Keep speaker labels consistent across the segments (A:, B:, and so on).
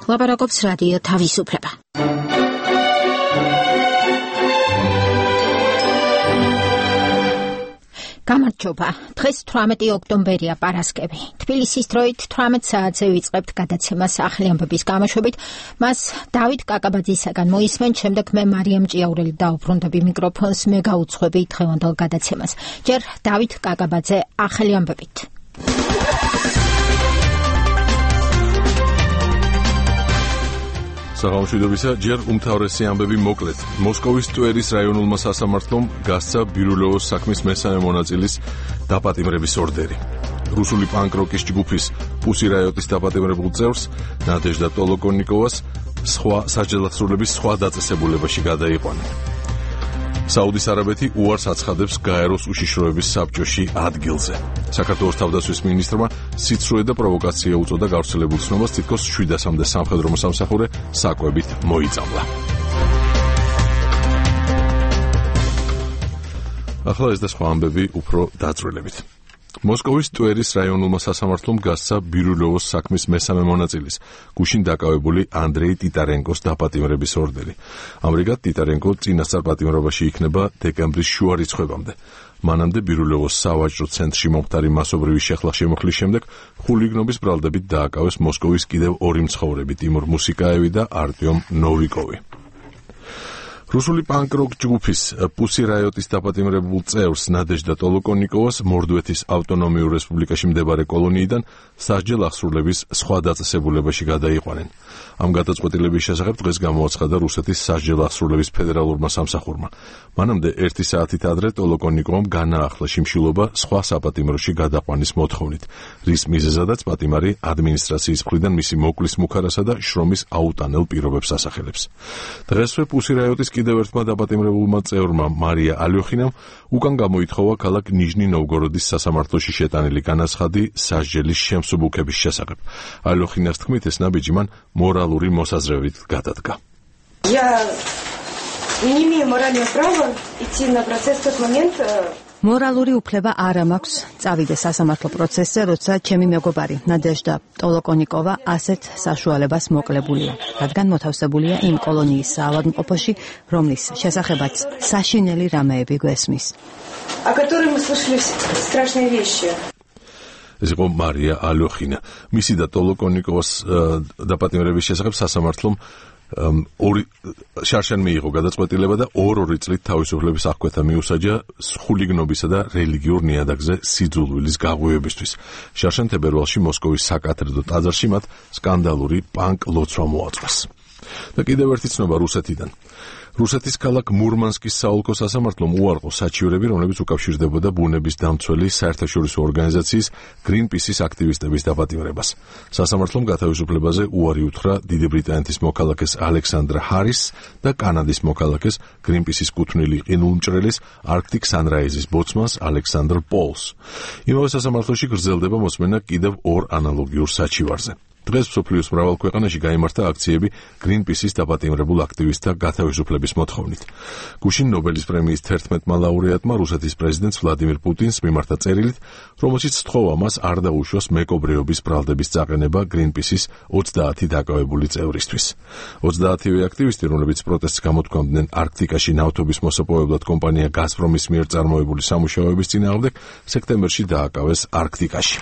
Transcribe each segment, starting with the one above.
A: ლაპარაკობს რადიო თავისუფლება. გამარჯობა. დღეს 18 ოქტომბერია, პარასკევი. თბილისის დროით 18 საათზე ვიწყებთ გადაცემას ახალი ამბების გამოშვებით. მას დავით კაკაბაძისაგან მოისმენ, შემდეგ მე მარიამ ჭიაურელი დაუბრუნდები მიკროფონს, მე გაუძღვები დღევანდელ გადაცემას. ჯერ დავით კაკაბაძე ახალი ამბებით.
B: საღამოშვიდობისა, ჯერ უმთავრესი ამბები მოკლედ. მოსკოვის ტვერის რაიონულმა სასამართლომ გასცა ბირულოვოს საქმის მესამე მონაწილის დაპატიმრების ორდერი. რუსული პანკ-როკის ჯგუფის პუსი რაიოტის დაპატიმრებულ წევრს ნადეჟდა ტოლოკონიკოვას სხვა საჯელახსრულების სხვა დაწესებულებაში გადაიყვანა. საუდის არაბეთი უარს აცხადებს გაეროს უშიშროების საბჭოში ადგილზე. საქართველოს თავდაცვის მინისტრმა სიცრუე და პროვოკაცია უწოდა გავრცელებულ ცნობას, თითქოს 700-მდე სამხედრო მოსამსახურე საკვებით მოიწამლა. ახლა ეს და სხვა ამბები უფრო დაწვრილებით. მოსკოვის ტვერის რაიონულმა სასამართლომ გასცა ბირულოვოს საქმის მესამე მონაწილის, გუშინ დაკავებული ანდრეი ტიტარენკოს დაპატიმრების ორდერი. ამრიგად, ტიტარენკო წინასწარ პატიმრობაში იქნება დეკემბრის შუა რიცხვებამდე. მანამდე ბირულოვოს სავაჭრო ცენტრში მომხდარი მასობრივი შეხლა-შემოხლის შემდეგ ხულიგნობის ბრალდებით დააკავეს მოსკოვის კიდევ ორი მცხოვრები, ტიმურ მუსიკაევი და არტიომ ნოვიკოვი. რუსული პანკ-როკ ჯგუფის პუსი რაიოტის დაპატიმრებულ წევრს ნადეჟდა ტოლოკონიკოვას მორდვეთის ავტონომიურ რესპუბლიკაში მდებარე კოლონიიდან სასჯელ აღსრულების სხვა დაწესებულებაში გადაიყვანენ. ამ გადაწყვეტილების შესახებ დღეს გამოაცხადა რუსეთის სასჯელ აღსრულების ფედერალურმა სამსახურმა. მანამდე 1 საათით ადრე ტოლოკონიკოვამ განაახლა შიმშილობა სხვა საპატიმროში გადაყვანის მოთხოვნით, რის მიზეზადაც პატიმარი ადმინისტრაციის მხრიდან მისი მოკლის მუქარასა და შრომის აუტანელ პირობებს ასახელებს. დღესვე პუსი რაიოტის კიდევ ერთმა დაპატიმრებულმა წევრმა მარია ალიოხინამ უკან გამოითხოვა ქალაქ ნიჟნი-ნოვგოროდის სასამართლოში შეტანილი განაცხადი სასჯელის შემსუბუქების შესახებ. ალიოხინას თქმით, ეს ნაბიჯი მან მორალური მოსაზრებით გადადგა.
C: მორალური უფლება არ მაქვს წავიდე სასამართლო პროცესზე, როცა ჩემი მეგობარი ნადეჟდა ტოლოკონიკოვა ასეთ საშუალებას მოკლებულია, რადგან მოთავსებულია იმ კოლონიის საავადმყოფოში, რომლის შესახებაც საშინელი რამეები გვესმის.
B: ეს იყო მარია ალიოხინა. მისი და ტოლოკონიკოვას დაპატიმრების შესახებ სასამართლომ შარშან მიიღო გადაწყვეტილება და 2 წლით თავისუფლების აღკვეთა მიუსაჯა ხულიგნობისა და რელიგიურ ნიადაგზე სიძულვილის გაღვივებისთვის. შარშან თებერვალში მოსკოვის საკათედრო ტაძარში მათ სკანდალური პანკ ლოცვა მოაწყვეს. და კიდევ ერთი ცნობა რუსეთიდან. რუსეთის ქალაქ მურმანსკის საოლქო სასამართლომ უარყო საჩივრები, რომლებიც უკავშირდებოდა ბუნების დამცველი საერთაშორისო ორგანიზაციის გრინპისის აქტივისტების დაპატიმრებას. სასამართლომ გათავისუფლებაზე უარი უთხრა დიდი ბრიტანეთის მოქალაქეს ალექსანდრა ჰარის და კანადის მოქალაქეს გრინპისის კუთვნილი ყინულმჭრელის არქტიკ სანრაიზის ბოცმანს ალექსანდრ პოლს. იმავე სასამართლოში გრძელდება მოსმენა კიდევ 2 ანალოგიურ საჩივარზე. დღეს მსოფლიოს მრავალ ქვეყანაში გაიმართა აქციები გრინპისის დაპატიმრებულ აქტივისტთა გათავისუფლების მოთხოვნით. გუშინ ნობელის პრემიის 11-მა ლაურეატმა რუსეთის პრეზიდენტს ვლადიმირ პუტინს მიმართა წერილით, რომელშიც სთხოვა მას არ დაუშვას მეკობრეობის ბრალდების წაყენება გრინპისის 30 დაკავებული წევრისთვის. 30-ვე აქტივისტი, რომლებიც პროტესტს გამოთქვამდნენ არქტიკაში ნავთობის მოსაპოვებლად კომპანია გაზპრომის მიერ წარმოებული სამუშაოების წინააღმდეგ, სექტემბერში დააკავეს არქტიკაში.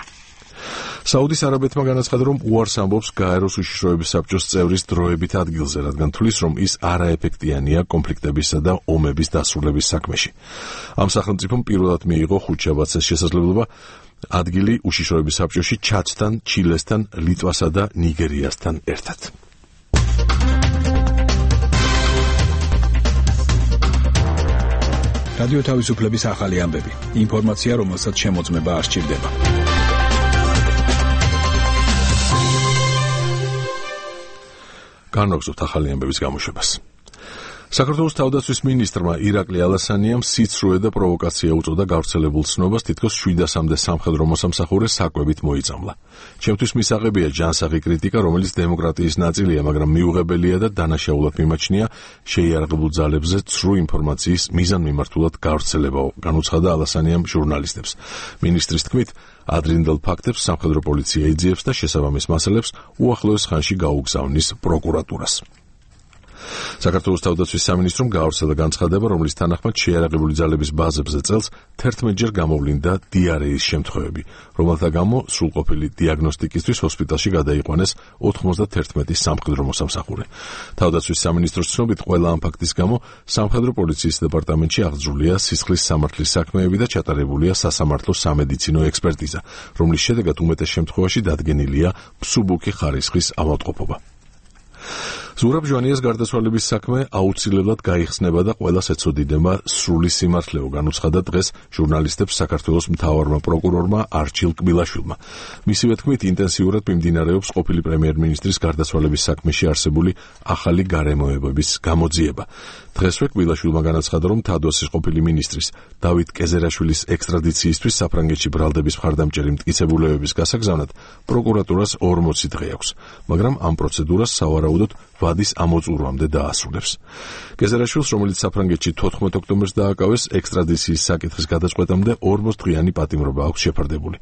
B: საუდის არაბეთმა განაცხადა, რომ უარს ამბობს გაეროს უშიშროების საბჭოს წევრის დროებით ადგილზე, რადგან თვლის, რომ ის არაეფექტიანია კონფლიქტებისა და ომების დასრულების საქმეში. ამ სახელმწიფომ პირველად მიიღო ხუთშაბათს შესაძლებლობა ადგილი უშიშროების საბჭოში ჩადთან, ჩილესთან, ლიტვასა და ნიგერიასთან ერთად.
D: რადიო თავისუფლების ახალი ამბები. ინფორმაცია, რომელსაც შემოწმება არ სჭირდება.
B: განვაგრძობთ ახალი ამბების გამოშვებას. საქართველოს თავდაცვის მინისტრმა ირაკლი ალასანიამ სიცრუე და პროვოკაცია უწოდა გავრცელებულ ცნობას, თითქოს 700-მდე სამხედრო მოსამსახურე საკვებით მოიწამლა. ჩემთვის მისაღებია ჯანსაღი კრიტიკა, რომელიც დემოკრატიის ნაწილია, მაგრამ მიუღებელია და დანაშაულად მიმაჩნია შეიარაღებულ ძალებზე ცრუ ინფორმაციის მიზანმიმართულად გავრცელებაო, განუცხადა ალასანიამ ჟურნალისტებს. მინისტრის თქმით, ადრინდელ ფაქტებს სამხედრო პოლიცია იძიებს და შესაბამის მასალებს უახლოეს ხანში გაუგზავნის პროკურატურას. საქართველოს თავდაცვის სამინისტრომ გაავრცელა განცხადება, რომლის თანახმად შეიარაღებული ძალების ბაზებზე წელს 11-ჯერ გამოვლინდა დიარეის შემთხვევები, რომელთა გამო სრულყოფილი დიაგნოსტიკისთვის ჰოსპიტალში გადაიყვანეს 91 სამხედრო მოსამსახურე. თავდაცვის სამინისტროს ცნობით, ყველა ამ ფაქტის გამო სამხედრო პოლიციის დეპარტამენტში აღძრულია სისხლის სამართლის საქმეები და ჩატარებულია სასამართლო სამედიცინო ექსპერტიზა, რომლის შედეგად უმეტეს შემთხვევაში დადგენილია მსუბუქი ხარისხის ავადმყოფობა. ზურაბ ჟვანიას გარდაცვალების საქმე აუცილებლად გაიხსნება და ყველას ეცოდინება სრული სიმართლეო, განუცხადა დღეს ჟურნალისტებს საქართველოს მთავარმა პროკურორმა არჩილ კბილაშვილმა. მისივე თქმით, ინტენსიურად მიმდინარეობს ყოფილი პრემიერ-მინისტრის გარდაცვალების საქმეში არსებული ახალი გარემოებების გამოძიება. დღესვე კბილაშვილმა განაცხადა, რომ თადოსის ყოფილი მინისტრის დავით კეზერაშვილის ექსტრადიციისთვის საფრანგეთში ბრალდების მხარდამჭერი მტკიცებულებების გასაგზავნად პროკურატურას 40 დღე აქვს, მაგრამ ამ პროცედურას სავარაუდოდ ვადის ამოწურვამდე დაასრულებს. კეზერაშვილს, რომელიც საფრანგეთში 14 ოქტომბერს დააკავეს, ექსტრადიციის საკითხის გადაწყვეტამდე 40 დღიანი პატიმრობა აქვს შეფარდებული.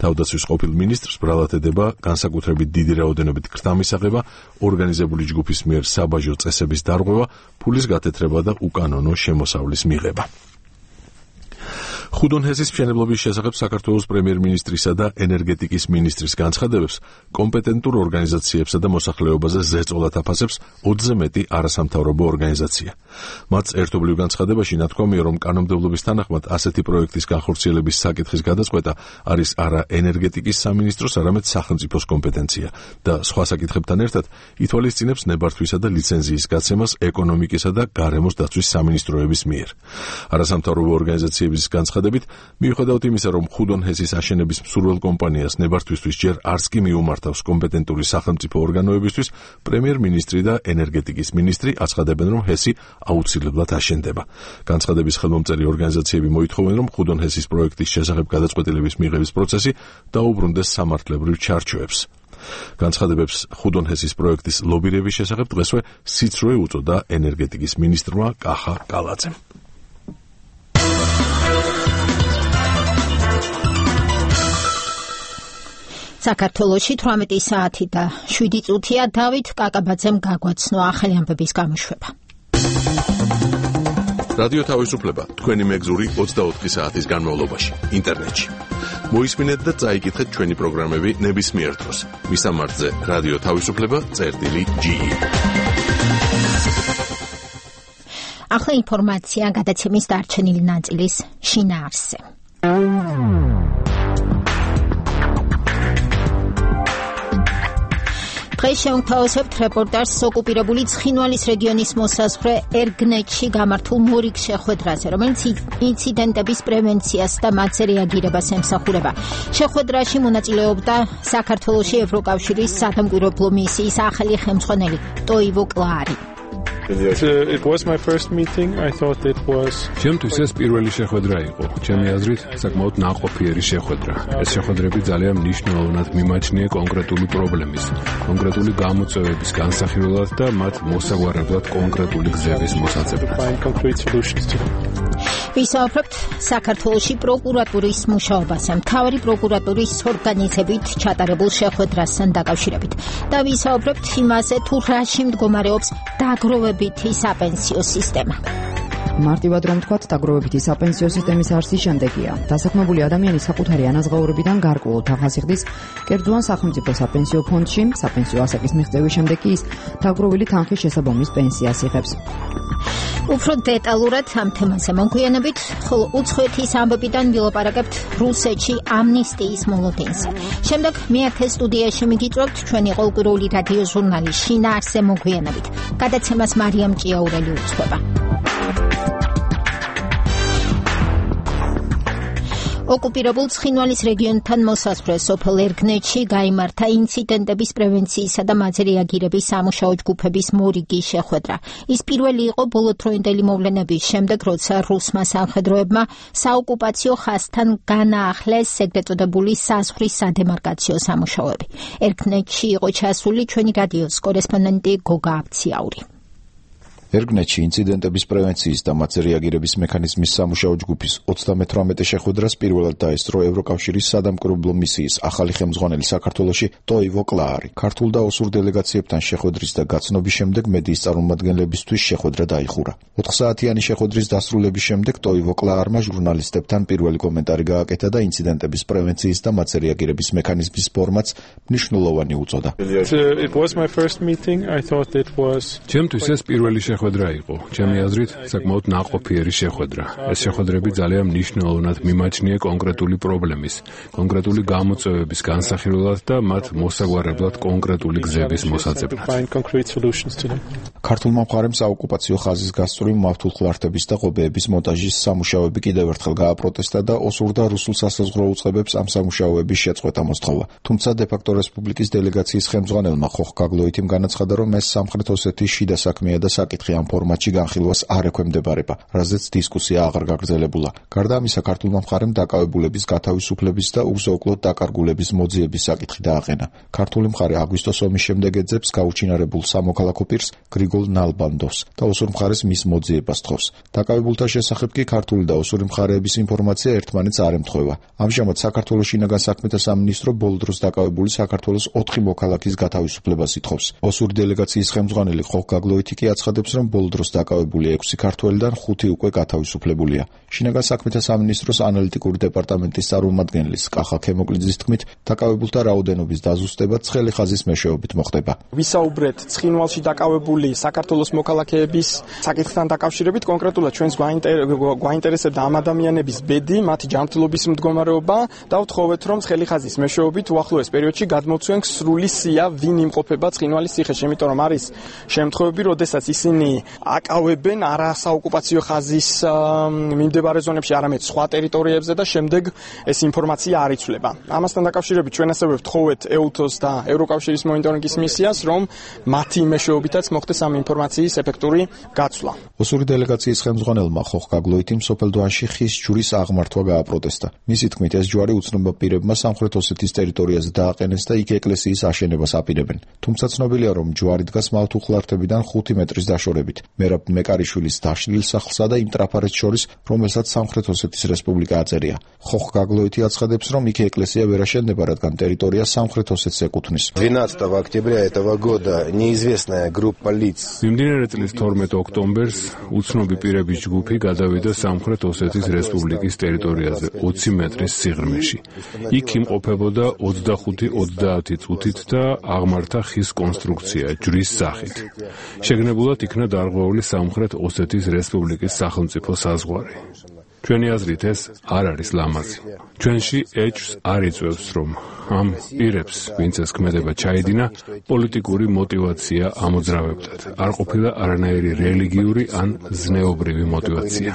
B: თავდაცვის ყოფილ მინისტრს ბრალად ედება განსაკუთრებით დიდი რაოდენობით ქრთამისაღება, ორგანიზებული ჯგუფის მიერ საბაჟო წესების დარღვევა, ფულის გათეთრება და უკანონო შემოსავლის მიღება. ხუდონჰესის მშენებლობის შესახებ საქართველოს პრემიერ-მინისტრისა და ენერგეტიკის მინისტრის განცხადებებს კომპეტენტურ ორგანიზაციებსა და მოსახლეობაზე ზეწოლად აფასებს 20-ზე მეტი არასამთავრობო ორგანიზაცია. მათ ერთობლივ განცხადებაში ნათქვამია, რომ კანონმდებლობის თანახმად ასეთი პროექტის განხორციელების საკითხის გადაწყვეტა არის არა ენერგეტიკის სამინისტროს, არამედ სახელმწიფოს კომპეტენცია და სხვა საკითხებთან ერთად ითვალისწინებს ნებართვისა და ლიცენზიის გაცემას ეკონომიკისა და გარემოს დაცვის სამინისტროების მიერ. არასამთავრობო ორგანიზაციების განცხადებით, მიუხედავად იმისა, რომ ხუდონჰესის აშენების მსურველ კომპანიას ნებართვისთვის ჯერ არც კი მიუმართავს კომპეტენტური სახელმწიფო ორგანოებისთვის, პრემიერ-მინისტრი და ენერგეტიკის მინისტრი აცხადებენ, რომ ჰესი აუცილებლად აშენდება. განცხადების ხელმომწერი ორგანიზაციები მოითხოვენ, რომ ხუდონჰესის პროექტის შესახებ გადაწყვეტილების მიღების პროცესი დაუბრუნდეს სამართლებრივ ჩარჩოებს. განცხადებებს ხუდონჰესის პროექტის ლობირების შესახებ დღესვე სიცრუე უწოდა ენერგეტიკის მინისტრმა კახა კალაძემ.
A: საქართველოში 18 საათი და 7 წუთია დავით კაკაბაძემ გაგვაცნო ახალი ამბების გამოშვება.
B: რადიო თავისუფლება თქვენი მეგზური 24 საათის განმავლობაში ინტერნეტში. მოისმინეთ და წაიკითხეთ ჩვენი პროგრამები ნებისმიერ დროს. მისამართზე რადიო თავისუფლება.ge.
A: ახლა ინფორმაცია გადაცემის დარჩენილი ნაწილის შინაარსზე. დღეს შევთავაზებთ რეპორტაჟს ოკუპირებული ცხინვალის რეგიონის მოსაზღვრე ერგნეთში გამართულ მორიგ შეხვედრაზე, რომელიც ინციდენტების პრევენციას და მათზე რეაგირებას ემსახურება. შეხვედრაში მონაწილეობდა საქართველოში ევროკავშირის სადამკვირვებლო მისიის ახალი ხელმძღვანელი ტოივო კლარი.
E: It was my first meeting. I thought it was.
F: ჩემთვის ეს პირველი შეხვედრა იყო. ჩემი აზრით, საკმაოდ ნაყოფიერი შეხვედრა. ეს შეხვედრები ძალიან მნიშვნელოვნად მიმაჩნია კონკრეტული პრობლემის, კონკრეტული გამოწვევების განსახილველად და მათ მოსაგვარებლად კონკრეტული გზების მოსაწყობად.
A: ვისაუბრებთ საქართველოში პროკურატურის მუშაობაზე, მთავარი პროკურატურის ორგანიზებით ჩატარებულ შეხვედრასთან დაკავშირებით და ვისაუბრებთ იმაზე, თუ რაში მდგომარეობს დაგროვებითი საპენსიო სისტემა.
C: მარტივად რომ ვთქვათ, დაგროვებითი საპენსიო სისტემის არსის შემდეგია. დასაქმებული ადამიანი საკუთარი ანაზღაურებიდან გარკვეულ თაღას იხდის კერძო სახელმწიფო საპენსიო ფონდში, საპენსიო ასაკის მიღწევის შემდეგ კი ის დაგროვილი თანხის შესაბამის პენსიას იღებს.
A: უფრო დეტალურად ამ თემაზე მოგვიანებით, ხოლო უცხოეთის ამბებიდან ვილაპარაკებთ რუსეთში ამნისტიის მოლოდინზე. შემდეგ მეათე სტუდიაში მიგიწვევთ ჩვენი ყოველკვირეული რადიო ჟურნალის შინაარსზე მოგვიანებით. გადაცემას მარიამ ჭიაურელი უძღვება. ოკუპირებულ ცხინვალის რეგიონთან მოსასვლელ სოფელ ერგნეთში გაიმართა ინციდენტების პრევენციისა და მათზე რეაგირების სამუშაო ჯგუფების მორიგი შეხვედრა. ის პირველი იყო ბოლოდროინდელი მოვლენების შემდეგ, როცა რუსმა სამხედროებმა საოკუპაციო ხაზთან განაახლეს ეგრეთ წოდებული საზღვრის სადემარკაციო სამუშაოები. ერგნეთში იყო ჩასული ჩვენი რადიოს კორესპონდენტი გოგა აბციაური.
G: ერგნეთში ინციდენტების პრევენციის და მათზე რეაგირების მექანიზმის სამუშაო ჯგუფის 38 შეხვედრას პირველად დაესწრო ევროკავშირის სადამკვირვებლო მისიის ახალი ხელმძღვანელი საქართველოში ტოივო კლაარი. ქართულ და ოსურ დელეგაციებთან შეხვედრის და გაცნობის შემდეგ მედიის წარმომადგენლებისთვის შეხვედრა დაიხურა. 4 საათიანი შეხვედრის დასრულების შემდეგ ტოივო კლაარმა ჟურნალისტებთან პირველი კომენტარი გააკეთა და ინციდენტების პრევენციის და მათზე რეაგირების მექანიზმის ფორმაც მნიშვნელოვანი უწოდა.
E: It was my first meeting. I thought it was
F: ჩემთვის ეს პირველი შეხვედრა იყო. ჩემი აზრით, საკმაოდ ნაყოფიერი შეხვედრა. ეს შეხვედრები ძალიან მნიშვნელოვნად მიმაჩნია კონკრეტული პრობლემის, კონკრეტული გამოწვევების განსახილველად და მათ მოსაგვარებლად კონკრეტული გზების მოსაძებნად.
G: ქართულმა მხარემ საოკუპაციო ხაზის გასწვრივ მავთულხლართების და ღობეების მონტაჟის სამუშაოები კიდევ ერთხელ გააპროტესტა და ოსურ და რუსულ სასაზღვრო უწყებებს ამ სამუშაოების შეწყვეტა მოსთხოვა. თუმცა დე-ფაქტო რესპუბლიკის დელეგაციის ხელმძღვანელმა ხოხ გაგლოითიმ განაცხადა, რომ ეს სამხრეთ ოსეთის შიდა საქმეა და საკითხი ამ ფორმატში განხილვას არ ექვემდებარება, რაზეც დისკუსია აღარ გაგრძელებულა. გარდა ამისა, ქართულმა მხარემ დაკავებულების გათავისუფლების და უზოკლოდ დაკარგულების მოძიების საკითხი დააყენა. ქართული მხარე აგვისტოს ომის შემდეგ ეძებს გაუჩინარებულ სამოქალაქო პირს გრიგოლ ნალბანდოვს და ოსურ მხარეს მის მოძიებას თხოვს. დაკავებულთა შესახებ კი ქართული და ოსური მხარეების ინფორმაცია ერთმანეთს არ ემთხვევა. ამჟამად საქართველოს შინაგან საქმეთა სამინისტრო ბოლო დროს დაკავებული საქართველოს 4 მოქალაქის გათავისუფლებას ითხოვს. ოსური დელეგაციის ხელმძღვანელი ხოხ გაგლოითი კი აცხადებს, რომ ბოლო დროს დაკავებული 6 ქართველიდან 5 უკვე გათავისუფლებულია. შინაგან საქმეთა სამინისტროს ანალიტიკური დეპარტამენტის წარმომადგენლის კახა ქემოკლიძის თქმით, დაკავებულთა რაოდენობის დაზუსტება ცხელი ხაზის მეშვეობით მოხდება.
H: ვისაუბრეთ ცხინვალში დაკავებული საქართველოს მოქალაქეების საკითხთან დაკავშირებით, კონკრეტულად ჩვენს გვაინტერესებდა ამ ადამიანების ბედი, მათი ჯანმრთელობის მდგომარეობა და ვთხოვეთ, რომ ცხელი ხაზის მეშვეობით უახლოეს პერიოდში გადმოცვენ სრული სია, ვინ იმყოფება ცხინვალის ციხეში, იმიტომ რომ არის შემთხვევები, როდესაც ისინი აკავებენ არა საოკუპაციო ხაზის მიმდებარე ზონებში, არამედ სხვა ტერიტორიებზე და შემდეგ ეს ინფორმაცია არ იცვლება. ამასთან დაკავშირებით ჩვენ ასევე ვთხოვეთ EUTOS და ევროკავშირის მონიტორინგის მისიას, რომ მათი მეშვეობითაც მოხდეს ამ ინფორმაციის ეფექტური გაცვლა.
G: ოსური დელეგაციის ხელმძღვანელმა ხოხ გაგლოითიმ სოფელ დვანში ხის ჯვრის აღმართვა გააპროტესტა. მისი თქმით, ეს ჯვარი უცნობმა პირებმა სამხრეთ ოსეთის ტერიტორიაზე დააყენეს და იქ ეკლესიის აშენებას აპირებენ. თუმცა ცნობილია, რომ ჯვარი დგას მავთულხლართებიდან 5 მეტრის დაშორებით. მერაბ მეკარიშვილის დაშლილ სახლსა და იმ ტრაფარეთს შორის, რომელსაც სამხრეთ ოსეთის რესპუბლიკა აწერია. ხოხ გაგლოითი აცხადებს, რომ იქ ეკლესია ვერ აშენდება, რადგან ტერიტორია სამხრეთ ოსეთს ეკუთვნის.
I: 12 октября этого года неизвестная группа лиц.
F: მიმდინარე წლის 12 ოქტომბერს უცნობი პირების ჯგუფი გადავიდა სამხრეთ ოსეთის რესპუბლიკის ტერიტორიაზე 20 მეტრის სიღრმეში. იქ იმყოფებოდა 25-30 წუთით და აღმართა ხის კონსტრუქცია ჯვრის სახით. შეგნებულად იქნა დარღვეული სამხრეთ ოსეთის რესპუბლიკის სახელმწიფო საზღვარი. ჩვენი აზრით ეს არ არის ლამაზი. ჩვენში ეჭვს არ იწვევს, რომ ამ პირებს, ვინც ეს ქმედება ჩაიდინა, პოლიტიკური мотиваცია ამოძრავებდათ. არ ყოფილა არანაირი რელიგიური ან ზნეობრივი мотиваცია.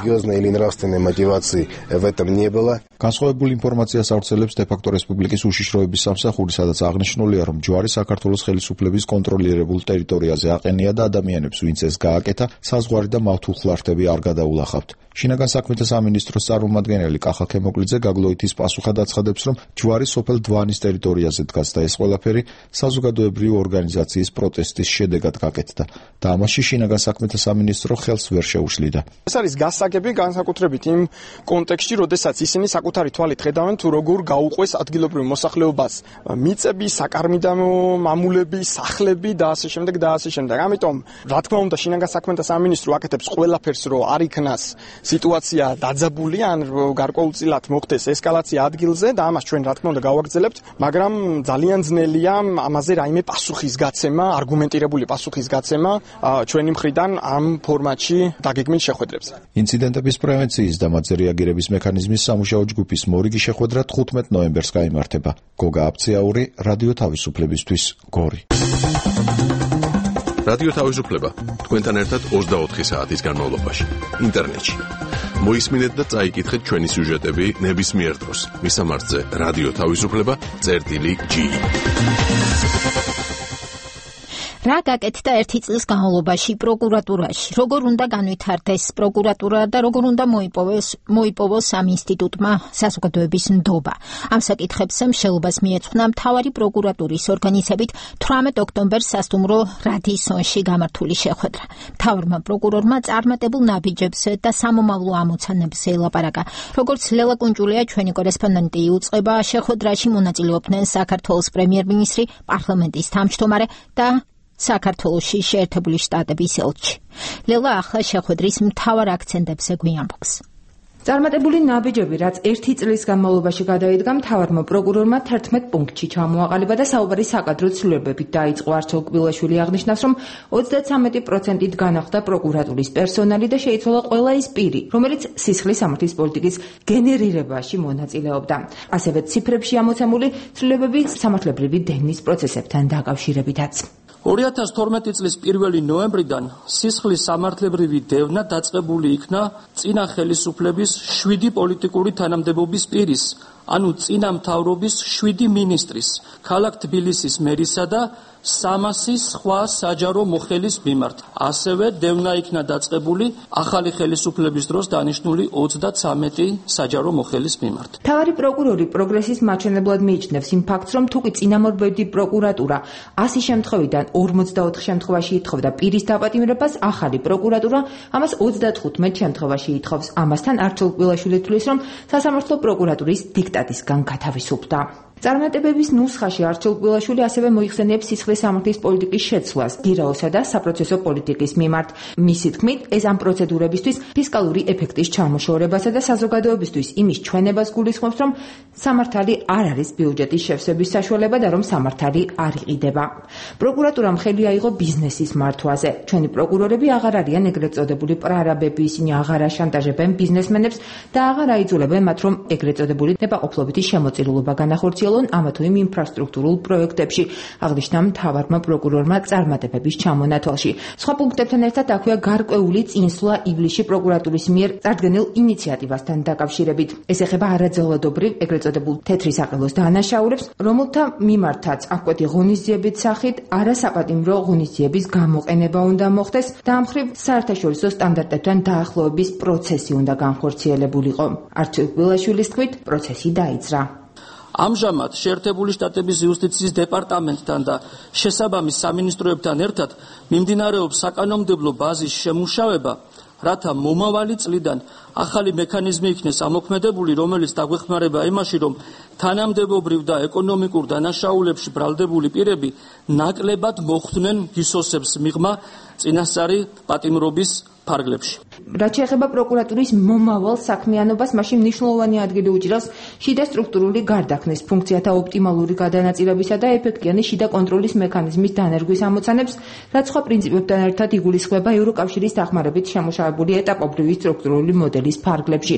G: განსხვავებული ინფორმაციას ავრცელებს დე-ფაქტო რესპუბლიკის უშიშროების სამსახური, სადაც აღნიშნულია, რომ ჯვარი საქართველოს ხელისუფლების კონტროლირებულ ტერიტორიაზე აყენია და ადამიანებს, ვინც ეს გააკეთა, საზღვარი და მავთულხლართები არ გადაულახავთ. შინაგან საქმეთა სამინისტროს წარმომადგენელი კახა ქემოკლიძე გაგლოითის პასუხად აცხადებს, რომ ჯვარი სოფელ დვანის ტერიტორიაზე დგას და ეს ყველაფერი საზოგადოებრივი ორგანიზაციის პროტესტის შედეგად გაკეთდა და ამაში შინაგან საქმეთა სამინისტრო ხელს ვერ შეუშლიდა.
H: ეს არის გასაგები განსაკუთრებით იმ კონტექსტში, როდესაც ისინი საკუთარი თვალით ხედავენ თუ როგორ გაუყვეს ადგილობრივ მოსახლეობას მიწები, საკარმიდამო მამულები, სახლები და ასე შემდეგ და ასე შემდეგ. ამიტომ, რა თქმა უნდა, შინაგან საქმეთა სამინისტრო აკეთებს ყველაფერს, რომ არ იქნას სიტუაცია დაძაბული ან გარკვეულწილად მოხდეს ესკალაცია ადგილზე და ამას ჩვენ რა თქმა უნდა გავაგრძელებთ, მაგრამ ძალიან ძნელია ამაზე რაიმე პასუხისგაცემა, არგუმენტირებული პასუხისგაცემა ჩვენი მხრიდან ამ ფორმატში დაგეგმილ შეხვედრებზე.
G: ინციდენტების პრევენციის და მათზე რეაგირების მექანიზმის სამუშაო ჯგუფის მორიგი შეხვედრა 15 ნოემბერს გაიმართება. გოგა აბციაური, რადიო თავისუფლებისთვის, გორი.
B: რადიო თავისუფლება თქვენთან ერთად 24 საათის განმავლობაში ინტერნეტში. მოისმინეთ და წაიკითხეთ ჩვენი სიუჟეტები ნებისმიერ დროს. მისამართზე რადიო თავისუფლება.gi.
A: რა გაკეთდა ერთი წლის განმავლობაში პროკურატურაში? როგორ უნდა განვითარდეს პროკურატურა და როგორ უნდა მოიპოვოს ამ ინსტიტუტმა საზოგადოების ნდობა? ამ საკითხებს მსჯელობას მიეძღვნა მთავარი პროკურატურის ორგანიზებით 18 ოქტომბერს სასტუმრო რადისონში გამართული შეხვედრა. მთავარმა პროკურორმა წარმატებულ ნაბიჯებს და სამომავლო ამოცანებს ელაპარაკა. როგორც ლელა კუნჭულია, ჩვენი კორესპონდენტი იუწყება, შეხვედრაში მონაწილეობდნენ საქართველოს პრემიერ-მინისტრი, პარლამენტის თავმჯდომარე და საქართველოში შეერთებული შტატების ელჩი. ლელა ახლა შეხვედრის მთავარ აქცენტებზე გვიამბობს.
J: წარმატებული ნაბიჯები, რაც ერთი წლის განმავლობაში გადაიდგა, მთავარმა პროკურორმა 11 პუნქტში ჩამოაყალიბა და საუბარი საკადრო ცვლილებებით დაიწყო. არჩილ კბილაშვილი აღნიშნავს, რომ 33%-ით განახლდა პროკურატურის პერსონალი და შეიცვალა ყველა ის პირი, რომელიც სისხლის სამართლის პოლიტიკის გენერირებაში მონაწილეობდა. ასევე ციფრებში ამოცემული ცვლილებები სამართლებრივი დევნის პროცესებთან დაკავშირებითაც.
K: 2012 წლის 1 ნოემბრიდან სისხლის სამართლებრივი დევნა დაწყებული იქნა წინა ხელისუფლების 7 პოლიტიკური თანამდებობის პირის, ანუ წინა მთავრობის 7 მინისტრის, ქალაქ თბილისის მერისა და 300 სხვა საჯარო მოხელის მიმართ. ასევე დევნა იქნა დაწყებული ახალი ხელისუფლების დროს დანიშნული 33 საჯარო მოხელის მიმართ.
J: მთავარი პროკურორი პროგრესის მაჩვენებლად მიიჩნევს იმ ფაქტს, რომ თუკი წინამორბედი პროკურატურა 100 შემთხვევიდან 44 შემთხვევაში ითხოვდა პირის დაპატიმრებას, ახალი პროკურატურა ამას 35 შემთხვევაში ითხოვს. ამასთან არჩილ კბილაშვილი თვლის, რომ სასამართლო პროკურატურის დიქტატისგან გათავისუფლდა. წარმატებების ნუსხაში არჩილ კბილაშვილი ასევე მოიხსენიებს სისხლის სამართლის პოლიტიკის შეცვლას გირაოსა და საპროცესო პოლიტიკის მიმართ. მისი თქმით, ეს ამ პროცედურებისთვის ფისკალური ეფექტის ჩამოშორებასა და საზოგადოებისთვის იმის ჩვენებას გულისხმობს, რომ სამართალი არ არის ბიუჯეტის შევსების საშუალება და რომ სამართალი არ იყიდება. პროკურატურამ ხელი აიღო ბიზნესის მართვაზე. ჩვენი პროკურორები აღარ არიან ეგრეთ წოდებული პრარაბები, ისინი აღარ აშანტაჟებენ ბიზნესმენებს და აღარ აიძულებენ მათ, რომ ეგრეთ წოდებული ნებაყოფლობითი შემოწირულობა განახორციელონ ამა თუ იმ ინფრასტრუქტურულ პროექტებში, აღნიშნა მთავარმა პროკურორმა წარმატებების ჩამონათვალში. სხვა პუნქტებთან ერთად აქვეა გარკვეული წინსვლა ივლისში პროკურატურის მიერ წარდგენილ ინიციატივასთან დაკავშირებით. ეს ეხება არაძველადობრივ ეგრეთ წოდებულ თეთრი საყელოს დანაშაულებს, რომელთა მიმართაც აკვეთი ღონისძიების სახით არასაპატიმრო ღონისძიების გამოყენება უნდა მოხდეს და ამ მხრივ საერთაშორისო სტანდარტებთან დაახლოების პროცესი უნდა განხორციელებულიყო. არჩილ კბილაშვილის თქმით, პროცესი დაიძრა.
K: ამჟამად შეერთებული შტატების იუსტიციის დეპარტამენტთან და შესაბამის სამინისტროებთან ერთად მიმდინარეობს საკანონმდებლო ბაზის შემუშავება, რათა მომავალი წლიდან ახალი მექანიზმი იქნეს ამოქმედებული, რომელიც დაგვეხმარება იმაში, რომ თანამდებობრივ და ეკონომიკურ დანაშაულებში ბრალდებული პირები ნაკლებად მოხვდნენ გისოსებს მიღმა წინასწარი პატიმრობის ფარგლებში.
J: რაც შეეხება პროკურატურის მომავალ საქმიანობას, მაშინ მნიშვნელოვანი ადგილი უჭირავს შიდა სტრუქტურული გარდაქმნის ფუნქციათა ოპტიმალური გადანაწილებისა და ეფექტიანი შიდა კონტროლის მექანიზმის დანერგვის ამოცანებს, რაც სხვა პრინციპებთან ერთად იგულისხმება ევროკავშირის დახმარებით შემუშავებული ეტაპობრივი სტრუქტურული მოდელის ფარგლებში.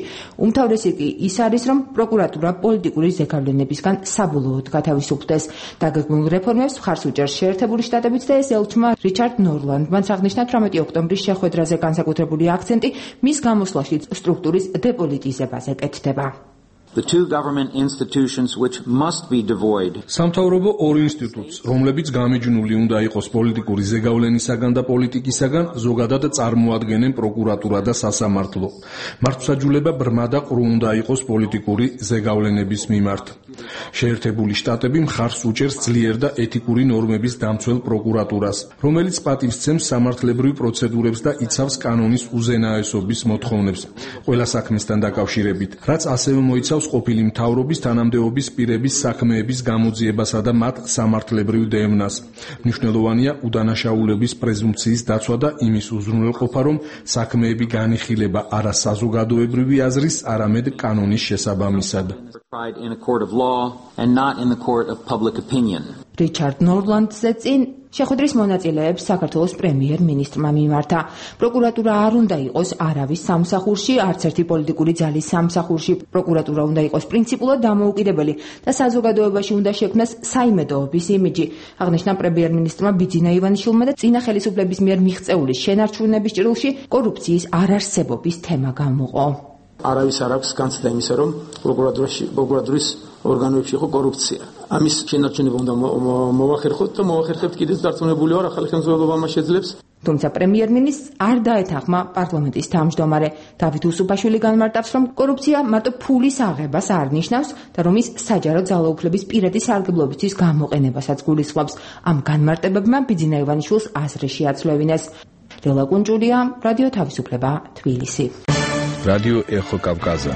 J: უმთავრესი კი ის არის, რომ პროკურატურა პოლიტიკური ზეგავლენებისგან საბოლოოდ გათავისუფლდეს. დაგეგმილ რეფორმებს მხარს უჭერს შეერთებული შტატებიც და ეს ელჩმა რიჩარდ ნორლანდმა აღნიშნა 18 ოქტომბრის შეხვედრაზე განსაკუთრებული აქცენტი მის გამოსვლაში სტრუქტურის დეპოლიტიზებაზე კეთდება.
L: სამთავრობო ორ ინსტიტუტს, რომლებიც გამიჯნული უნდა იყოს პოლიტიკური ზეგავლენისაგან და პოლიტიკისაგან, ზოგადად წარმოადგენენ პროკურატურა და სასამართლო. მართლმსაჯულება ბრმა და ყრუ უნდა იყოს პოლიტიკური ზეგავლენების მიმართ. შეერთებული შტატები მხარს უჭერს ძლიერ და ეთიკური ნორმების დამცველ პროკურატურას, რომელიც პატივს სცემს სამართლებრივ პროცედურებს და იცავს კანონის უზენაესობის მოთხოვნებს ყველა საქმესთან დაკავშირებით, რაც ასევე მოიცავს ყოფილი მთავრობის თანამდებობის პირების საქმეების გამოძიებასა და მათ სამართლებრივ დევნას. მნიშვნელოვანია უდანაშაულების პრეზუმპციის დაცვა და იმის უზრუნველყოფა, რომ საქმეები განიხილება არა საზოგადოებრივი აზრის, არამედ კანონის შესაბამისად.
J: რიჩარდ ნორლანდზე წინ შეხვედრის მონაწილეებს საქართველოს პრემიერ-მინისტრმა მიმართა. პროკურატურა არ უნდა იყოს არავის სამსახურში, არც ერთი პოლიტიკური ძალის სამსახურში. პროკურატურა უნდა იყოს პრინციპულად დამოუკიდებელი და საზოგადოებაში უნდა შექმნას საიმედოობის იმიჯი. აღნიშნა პრემიერ-მინისტრმა ბიძინა ივანიშვილმა და წინა ხელისუფლების მიერ მიღწეული შენარჩუნების ჭრილში კორუფციის არარსებობის თემა გამოყო.
M: არავის არ აქვს განცდა იმისა, რომ პროკურატურის ორგანოებში იყო კორუფცია. ამის შენარჩუნება უნდა მოვახერხოთ და მოვახერხებთ კიდეც დარწმუნებული ვარ, ახალი ხელმძღვანელობა მას შეძლებს.
J: თუმცა პრემიერ-მინისტრს არ დაეთანხმა პარლამენტის თავმჯდომარე დავით უსუფაშვილი განმარტავს, რომ კორუფცია მარტო ფულის აღებას არ ნიშნავს და რომ ის საჯარო ძალაუფლების პირადი სარგებლობისთვის გამოყენებასაც გულისხმობს. ამ განმარტებებმა ბიძინა ივანიშვილს აზრი შეაცვლევინეს. ლელა კუნჭულია, რადიო თავისუფლება, თბილისი.
D: რადიო ეხო კავკაზა.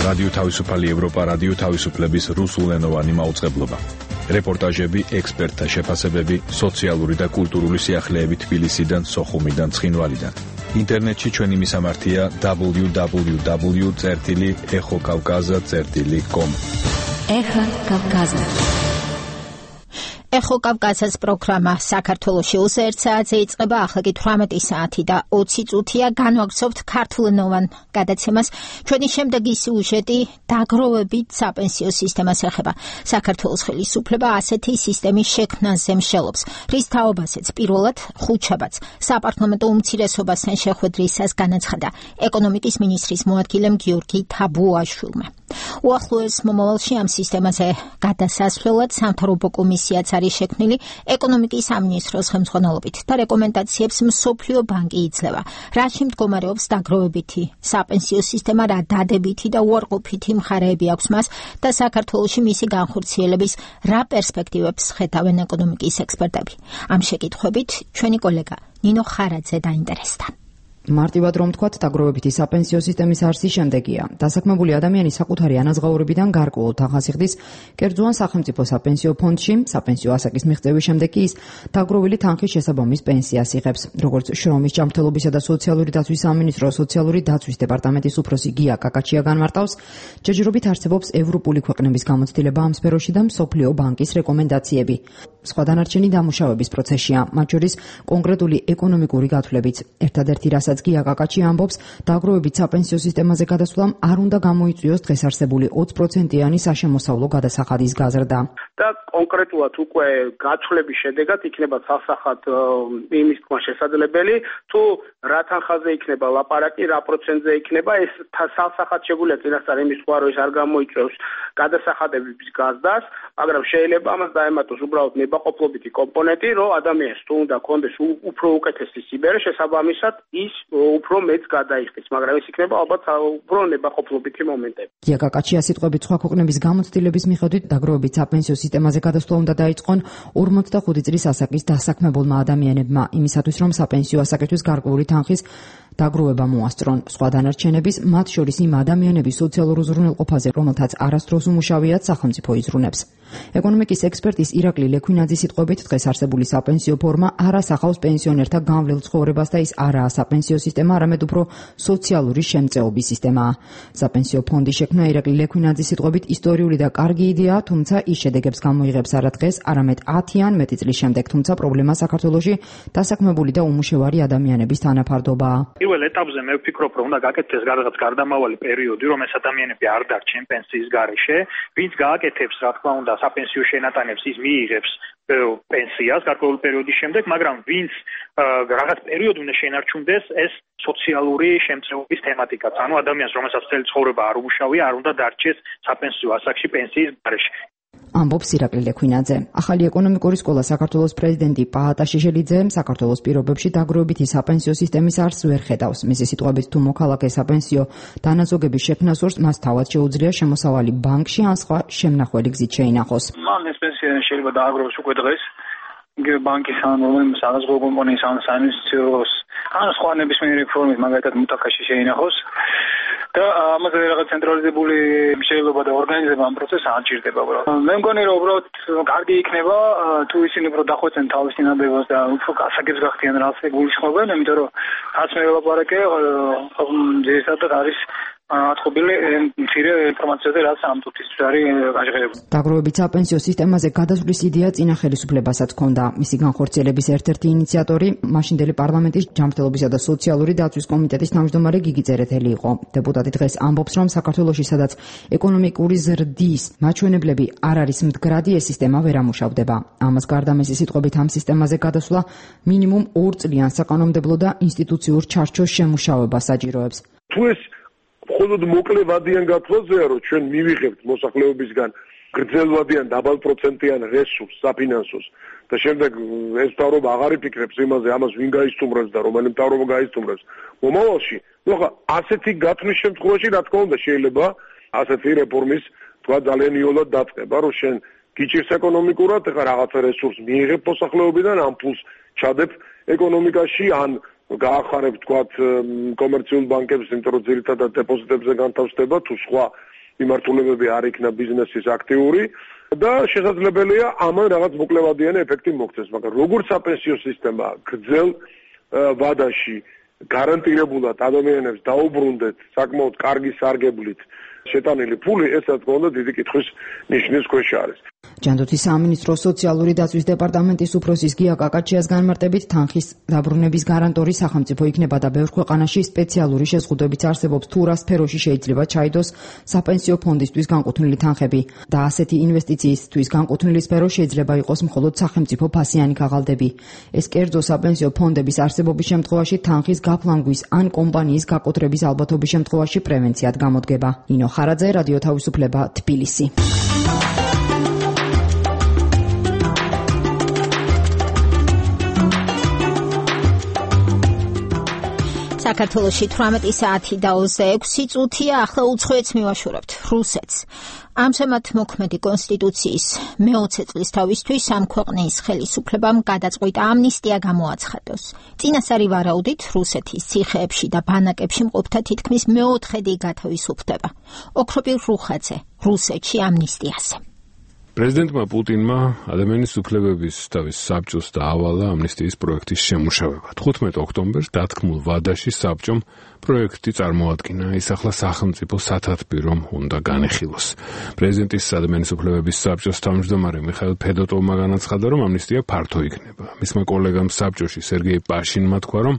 D: რადიო თავისუფალი ევროპა, რადიო თავისუფლების რუსულენოვანი მაუწყებლობა. რეპორტაჟები, ექსპერტთა შეფასებები, სოციალური და კულტურული სიახლეები თბილისიდან, სოხუმიდან, ცხინვალიდან. ინტერნეტში ჩვენი მისამართია www.ეხოკავკაზა.com.
C: ეხა კავკაზა.
A: ეხო კავკაზას პროგრამა საქართველოში 1 საათზე იწყება, ახლა კი 18 საათი და 20 წუთია. განვაგრძობთ ქართულენოვან გადაცემას. ჩვენი შემდეგი სიუჟეტი დაგროვებით საპენსიო სისტემას ეხება. საქართველოს ხელისუფლება ასეთი სისტემის შექმნაზე მსჯელობს, რის თაობასაც პირველად ხუთშაბათს საპარლამენტო უმცირესობასთან შეხვედრისას განაცხადა ეკონომიკის მინისტრის მოადგილემ გიორგი თაბუაშვილმა. უახლოეს მომავალში ამ სისტემაზე გადასასვლელად სამთავრობო კომისიაც არის შექმნილი ეკონომიკის სამინისტროს ხელმძღვანელობით და რეკომენდაციებს მსოფლიო ბანკი იძლევა. რაში მდგომარეობს დაგროვებითი საპენსიო სისტემა, რა დადებითი და უარყოფითი მხარეები აქვს მას და საქართველოში მისი განხორციელების რა პერსპექტივებს ხედავენ ეკონომიკის ექსპერტები. ამ შეკითხვებით ჩვენი კოლეგა ნინო ხარაძე დაინტერესდა.
C: მარტივად რომ ვთქვათ, დაგროვებითი საპენსიო სისტემის არსი შემდეგია. დასაქმებული ადამიანი საკუთარი ანაზღაურებიდან გარკვეულ თანხას იხდის კერძო ან სახელმწიფო საპენსიო ფონდში, საპენსიო ასაკის მიღწევის შემდეგ კი ის დაგროვილი თანხის შესაბამის პენსიას იღებს. როგორც შრომის ჯანმრთელობისა და სოციალური დაცვის სამინისტროს სოციალური დაცვის დეპარტამენტის უფროსი გია კაკაჩია განმარტავს, ჯერჯერობით არსებობს ევროპული ქვეყნების გამოცდილება ამ სფეროში და მსოფლიო ბანკის რეკომენდაციები. სხვა დანარჩენი დამუშავების პროცესია, მათ შორის კონკრეტული ეკონომიკური გათვლებიც. ერთადერთი რასაც გია კაკაჩი ამბობს, დაგროვებით საპენსიო სისტემაზე გადასვლამ არ უნდა გამოიწვიოს დღეს არსებული 20%-იანი საშემოსავლო გადასახადის გაზრდა.
N: და კონკრეტულად უკვე გათვლების შედეგად იქნება სასახად იმის თქმა შესაძლებელი, თუ რა თანხაზე იქნება ლაპარაკი, რა პროცენტზე იქნება, ეს სასახად შეგვიძლია წინასწარ იმის სხვა რომ ეს არ გამოიწვევს გადასახადების გაზრდას, მაგრამ შეიძლება ამას დაემატოს უბრალოდ ნებაყოფლობითი კომპონენტი, რომ ადამიანს თუ უნდა კონდეს უფრო უკეთესი სიბერე, შესაბამისად ის უფრო მეც გადაიხდის, მაგრამ ეს იქნება ალბათ უფრო ნებაყოფლობითი მომენტები.
C: გია კაკაჩია სიტყვებით სხვა ქვეყნების გამოცდილების მიხედვით დაგროვებით საპენსიო სისტემაზე გადასვლა უნდა დაიწყონ 45 წლის ასაკის დასაქმებულმა ადამიანებმა, იმისათვის რომ საპენსიო ასაკისთვის გარკვეული თანხის დაგროვება მოასწრონ. სხვა დანარჩენების, მათ შორის იმ ადამიანების სოციალურ უზრუნველყოფაზე, რომელთაც არასდროს უმუშავიათ, სახელმწიფო იზრუნებს. ეკონომიკის ექსპერტის ირაკლი ლექვინაძის სიტყვებით, დღეს არსებული საპენსიო ფორმა არ ასახავს პენსიონერთა გამვლელ ცხოვრებას და ის არაა საპენსიო სისტემა, არამედ უფრო სოციალური შემწეობის სისტემაა. საპენსიო ფონდის შექმნა ირაკლი ლექვინაძის სიტყვებით ისტორიული და კარგი იდეაა, თუმცა ის შედეგებს გამოიღებს არა დღეს, არამედ 10 ან მეტი წლის შემდეგ, თუმცა პრობლემა საქართველოში დასაქმებული და უმუშევარი ადამიანების თანაფარდობაა.
O: პირველ ეტაპზე მე ვფიქრობ, რომ უნდა გაკეთდეს რაღაც გარდამავალი პერიოდი, რომ ეს ადამიანები არ დარჩენ პენსიის გარეშე, ვინც გააკეთებს, რა თქმა უნდა, საპენსიო შენატანებს, ის მიიღებს პენსიას გარკვეული პერიოდის შემდეგ, მაგრამ ვინც რაღაც პერიოდი უნდა შენარჩუნდეს, ეს სოციალური შემწეობის თემატიკაც. ანუ ადამიანს, რომელსაც მთელი ცხოვრება არ უმუშავია, არ უნდა დარჩეს საპენსიო ასაკში პენსიის გარეშე.
C: ამბობს ირაკლი ლექვინაძე. ახალი ეკონომიკური სკოლა საქართველოს პრეზიდენტი პაატა შიშელიძე საქართველოს პირობებში დაგროვებითი საპენსიო სისტემის არსს ვერ ხედავს. მისი სიტყვებით, თუ მოქალაქე საპენსიო დანაზოგების შექმნას სურს, მას თავად შეუძლია შემოსავალი ბანკში ან სხვა შემნახველი გზით შეინახოს.
O: მან ეს პენსია შეიძლება დააგროვოს უკვე დღეს, იგივე ბანკის ან რომელიმე საზღვაო კომპანიის ან საინვესტიციოს ან სხვა ნებისმიერი ფორმით, მაგალითად მუტაკაში შეინახოს. და ამაზე რაღაც ცენტრალიზებული შეიძლება და ორგანიზება ამ პროცესს არ ჭირდება უბრალოდ. მე მგონი რომ უბრალოდ კარგი იქნება თუ ისინი უფრო დახვეწენ თავის წინადადებას და უფრო გასაგებს გახდიან რაც გულისხმობენ, იმიტომ რომ რაც მე ვლაპარაკე, ძირითადად არის აწყობილი მცირე ინფორმაციაზე, რაც ამ თუთისთვის არის გაჟღერებული.
J: დაგროვებით საპენსიო სისტემაზე გადასვლის იდეა წინა ხელისუფლებასაც ჰქონდა. მისი განხორციელების ერთ-ერთი ინიციატორი მაშინდელი პარლამენტის ჯანმრთელობისა და სოციალური დაცვის კომიტეტის თავმჯდომარე გიგი წერეთელი იყო. დეპუტატი დღეს ამბობს, რომ საქართველოში, სადაც ეკონომიკური ზრდის მაჩვენებლები არ არის მდგრადი, ეს სისტემა ვერ ამუშავდება. ამას გარდა მისი სიტყვებით ამ სისტემაზე გადასვლა მინიმუმ 2 წლიან საკანონმდებლო და ინსტიტუციურ ჩარჩოს შემუშავებას საჭიროებს.
P: თუ ეს მხოლოდ მოკლევადიან გათვლაზეა, რომ ჩვენ მივიღებთ მოსახლეობისგან გრძელვადიან დაბალპროცენტიან რესურსს, საფინანსოს და შემდეგ ეს მთავრობა აღარ იფიქრებს იმაზე, ამას ვინ გაისტუმრებს და რომელი მთავრობა გაისტუმრებს მომავალში. ნუ ხა ასეთი გათვლის შემთხვევაში, რა თქმა უნდა, შეიძლება ასეთი რეფორმის თქვა ძალიან იოლად დაწყება, რომ შენ გიჭირს ეკონომიკურად, ეხლა რაღაცა რესურსს მიიღებ მოსახლეობიდან, ამ ფულს ჩადებ ეკონომიკაში, ან გაახარებ თქვათ კომერციულ ბანკებს, იმიტომ რომ ძირითადად დეპოზიტებზე განთავსდება, თუ სხვა მიმართულებები არ იქნა ბიზნესის აქტიური და შესაძლებელია ამან რაღაც მოკლევადიანი ეფექტი მოქცეს, მაგრამ როგორც საპენსიო სისტემა გრძელ ვადაში გარანტირებულად ადამიანებს დაუბრუნდეთ საკმაოდ კარგი სარგებლით შეტანილი ფული, ეს რა თქმა უნდა დიდი კითხვის ნიშნის ქვეშ არის.
J: ჯანდაცვის სამინისტროს სოციალური დაცვის დეპარტამენტის უფროსის გია კაკაჩიას განმარტებით, თანხის დაბრუნების გარანტორი სახელმწიფო იქნება და ბევრ ქვეყანაში სპეციალური შეზღუდვებიც არსებობს, თუ რა სფეროში შეიძლება ჩაიდოს საპენსიო ფონდისთვის განკუთვნილი თანხები და ასეთი ინვესტიციისთვის განკუთვნილი სფერო შეიძლება იყოს მხოლოდ სახელმწიფო ფასიანი ქაღალდები. ეს კერძო საპენსიო ფონდების არსებობის შემთხვევაში თანხის გაფლანგვის ან კომპანიის გაკოტრების ალბათობის შემთხვევაში პრევენციად გამოდგება. ნინო ხარაძე, რადიო თავისუფლება, თბილისი.
A: საქართველოში 18 საათი და 26 წუთია, ახლა უცხოეთს მივაშურებთ, რუსეთს. ამჟამად მოქმედი კონსტიტუციის მე-20 წლის თავისთვის ამ ქვეყნის ხელისუფლებამ გადაწყვიტა ამნისტია გამოაცხადოს. წინასწარი ვარაუდით რუსეთის ციხეებში და ბანაკებში მყოფთა თითქმის მე-4 გათავისუფლდება. ოქროპილ რუხაძე, რუსეთში ამნისტიაზე.
F: პრეზიდენტმა პუტინმა ადამიანის უფლებების თავის საბჭოს დაავალა ამნისტიის პროექტის შემუშავება. 15 ოქტომბერს დათქმულ ვადაში საბჭომ პროექტი წარმოადგინა, ის ახლა სახელმწიფო სათათბირომ უნდა განეხილოს. პრეზიდენტის ადამიანის უფლებების საბჭოს თავმჯდომარე მიხაილ ფედოტოვმა განაცხადა, რომ ამნისტია ფართო იქნება. მისმა კოლეგამ საბჭოში სერგეი პაშინმა თქვა, რომ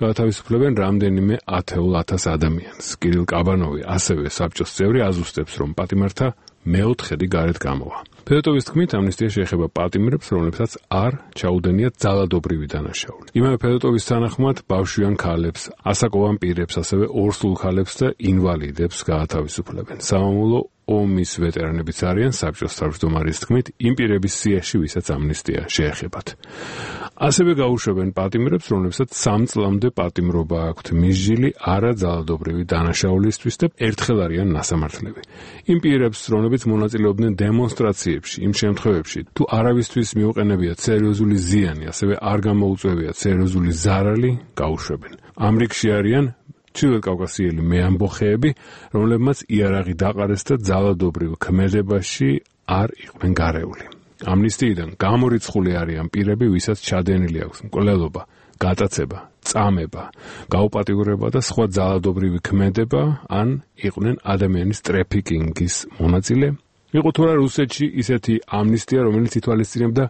F: გაათავისუფლებენ რამდენიმე 10,000 ადამიანს. კირილ კაბანოვი, ასევე საბჭოს წევრი, აზუსტებს, რომ პატიმართა მე-4 გარეთ გამოვა. ფედოტოვის თქმით, ამნისტია შეეხება პატიმრებს, რომლებსაც არ ჩაუდენიათ ძალადობრივი დანაშაული. იმავე ფედოტოვის თანახმად, ბავშვიან ქალებს, ასაკოვან პირებს, ასევე ორსულ ქალებს და ინვალიდებს გაათავისუფლებენ. სამამულო ომის ვეტერანებიც არიან, საბჭოს თავმჯდომარის თქმით, იმ პირების სიაში, ვისაც ამნისტია შეეხებათ. ასევე გაუშვებენ პატიმრებს, რომლებსაც 3 წლამდე პატიმრობა აქვთ მისჯილი არაძალადობრივი დანაშაულისთვის და ერთხელ არიან ნასამართლები. იმ პირებს, რომლებიც მონაწილეობდნენ დემონსტრაციებში, იმ შემთხვევებში, თუ არავისთვის მიუყენებიათ სერიოზული ზიანი, ასევე არ გამოუწვევიათ სერიოზული ზარალი, გაუშვებენ. ამ რიგში არიან ჩრდილოკავკასიელი მეამბოხეები, რომლებმაც იარაღი დაყარეს და ძალადობრივ ქმედებაში არ იყვნენ გარეული. ამნისტიიდან გამორიცხული არიან პირები, ვისაც ჩადენილი აქვს მკვლელობა, გატაცება, წამება, გაუპატიურება და სხვა ძალადობრივი ქმედება, ან იყვნენ ადამიანის ტრეფიკინგის მონაწილე. იყო თუ არა რუსეთში ისეთი ამნისტია, რომელიც ითვალისწინებდა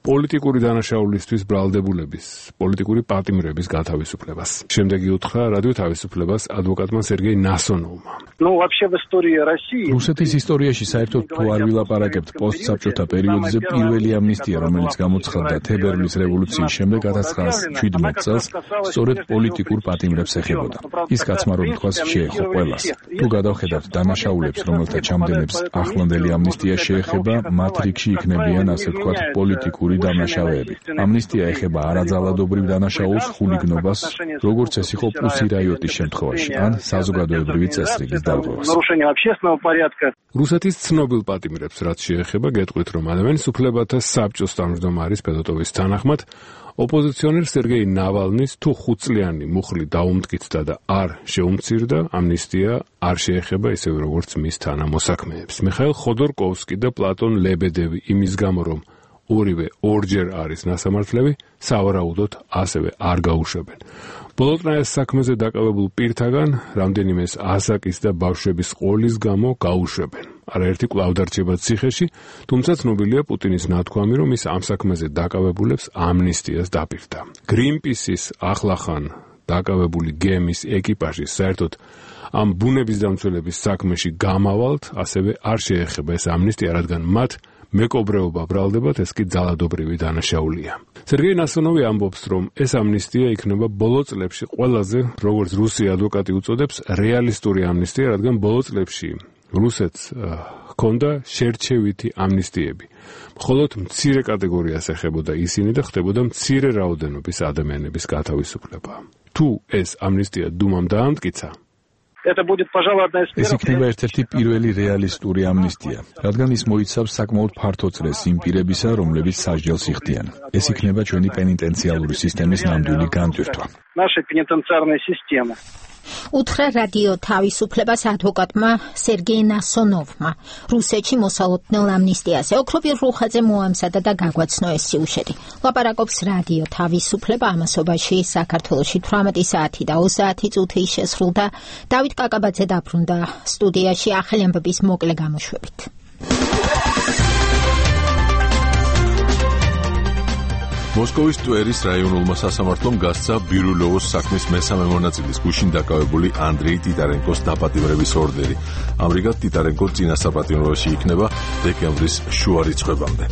F: პოლიტიკური დანაშაულისთვის ბრალდებულების, პოლიტიკური პატიმრების გათავისუფლებას. შემდეგი უთხრა რადიო თავისუფლებას ადვოკატმა სერგეი ნასონოვმა.
D: რუსეთის ისტორიაში საერთოდ თუ არ ვილაპარაკებთ პოსტსაბჭოთა პერიოდზე, პირველი ამნისტია, რომელიც გამოცხადდა თებერვლის რევოლუციის შემდეგ 1917 წელს, სწორედ პოლიტიკურ პატიმრებს ეხებოდა. ის კაცმა რომ თქვას შეეხო ყველას. თუ გადავხედავთ დანაშაულებს, რომელთა ჩამდენებს ახლანდელი ამნისტია შეეხება, მათ რიგში იქნებიან ასე ვთქვათ პოლიტიკური დამნაშავეები. ამნისტია ეხება არაძალადობრივ დანაშაულს, ხულიგნობას, როგორც ეს იყო პუსი რაიოტის შემთხვევაში, ან საზოგადოებრივი წესრიგის დარღვევას.
F: რუსეთის ცნობილ პატიმრებს, რაც შეეხება, გეტყვით, რომ ადამიანის უფლებათა საბჭოს თავმჯდომარის ფედოტოვის თანახმად, ოპოზიციონერ სერგეი ნავალნის თუ 5 წლიანი მუხლი დაუმტკიცდა და არ შეუმცირდა, ამნისტია არ შეეხება ისევე როგორც მის თანამოსაქმეებს. მიხაილ ხოდორკოვსკი და პლატონ ლებედევი იმის გამო, რომ ორივე ორჯერ არის ნასამართლები, სავარაუდოდ ასევე არ გაუშვებენ. ბოლოტნაეს საქმეზე დაკავებულ პირთაგან რამდენიმეს ასაკის და ბავშვების ყოლის გამო გაუშვებენ. არაერთი კვლავ დარჩება ციხეში, თუმცა ცნობილია პუტინის ნათქვამი, რომ ის ამ საქმეზე დაკავებულებს ამნისტიას დაპირდა. Greenpeace-ის ახლახან დაკავებული გემის ეკიპაჟი საერთოდ ამ ბუნების დამცველების საქმეში გამავალთ, ასევე არ შეეხება ეს ამნისტია, რადგან მათ მეკობრეობა ბრალდებათ, ეს კი ძალადობრივი დანაშაულია. სერგეი ნასონოვი ამბობს, რომ ეს ამნისტია იქნება ბოლო წლებში ყველაზე, როგორც რუსი ადვოკატი უწოდებს, რეალისტური ამნისტია, რადგან ბოლო წლებში რუსეთს ჰქონდა შერჩევითი ამნისტიები. მხოლოდ მცირე კატეგორიას ეხებოდა ისინი და ხდებოდა მცირე რაოდენობის ადამიანების გათავისუფლება. თუ ეს ამნისტია დუმამ დაამტკიცა,
D: ეს იქნება ერთ-ერთი პირველი რეალისტური ამნისტია, რადგან ის მოიცავს საკმაოდ ფართო წრეს იმ პირებისა, რომლებიც სასჯელს იხდიან. ეს იქნება ჩვენი პენიტენციალური სისტემის ნამდვილი განტვირთვა.
A: უთხრა რადიო თავისუფლებას ადვოკატმა სერგეი ნასონოვმა რუსეთში მოსალოდნელ ამნისტიაზე. ოქროპირ რუხაძე მოამზადა და გაგვაცნო ეს სიუჟეტი. ლაპარაკობს რადიო თავისუფლება ამასობაში საქართველოში 18 საათი და 30 წუთი შესრულდა. დავით კაკაბაძე დაბრუნდა სტუდიაში ახალი ამბების მოკლე გამოშვებით.
B: მოსკოვის ტვერის რაიონულმა სასამართლომ გასცა ბირულოვოს საქმის მესამე მონაწილის გუშინ დაკავებული ანდრეი ტიტარენკოს დაპატიმრების ორდერი. ამრიგად ტიტარენკო წინასაპატიმრობაში იქნება დეკემბრის შუა რიცხვებამდე.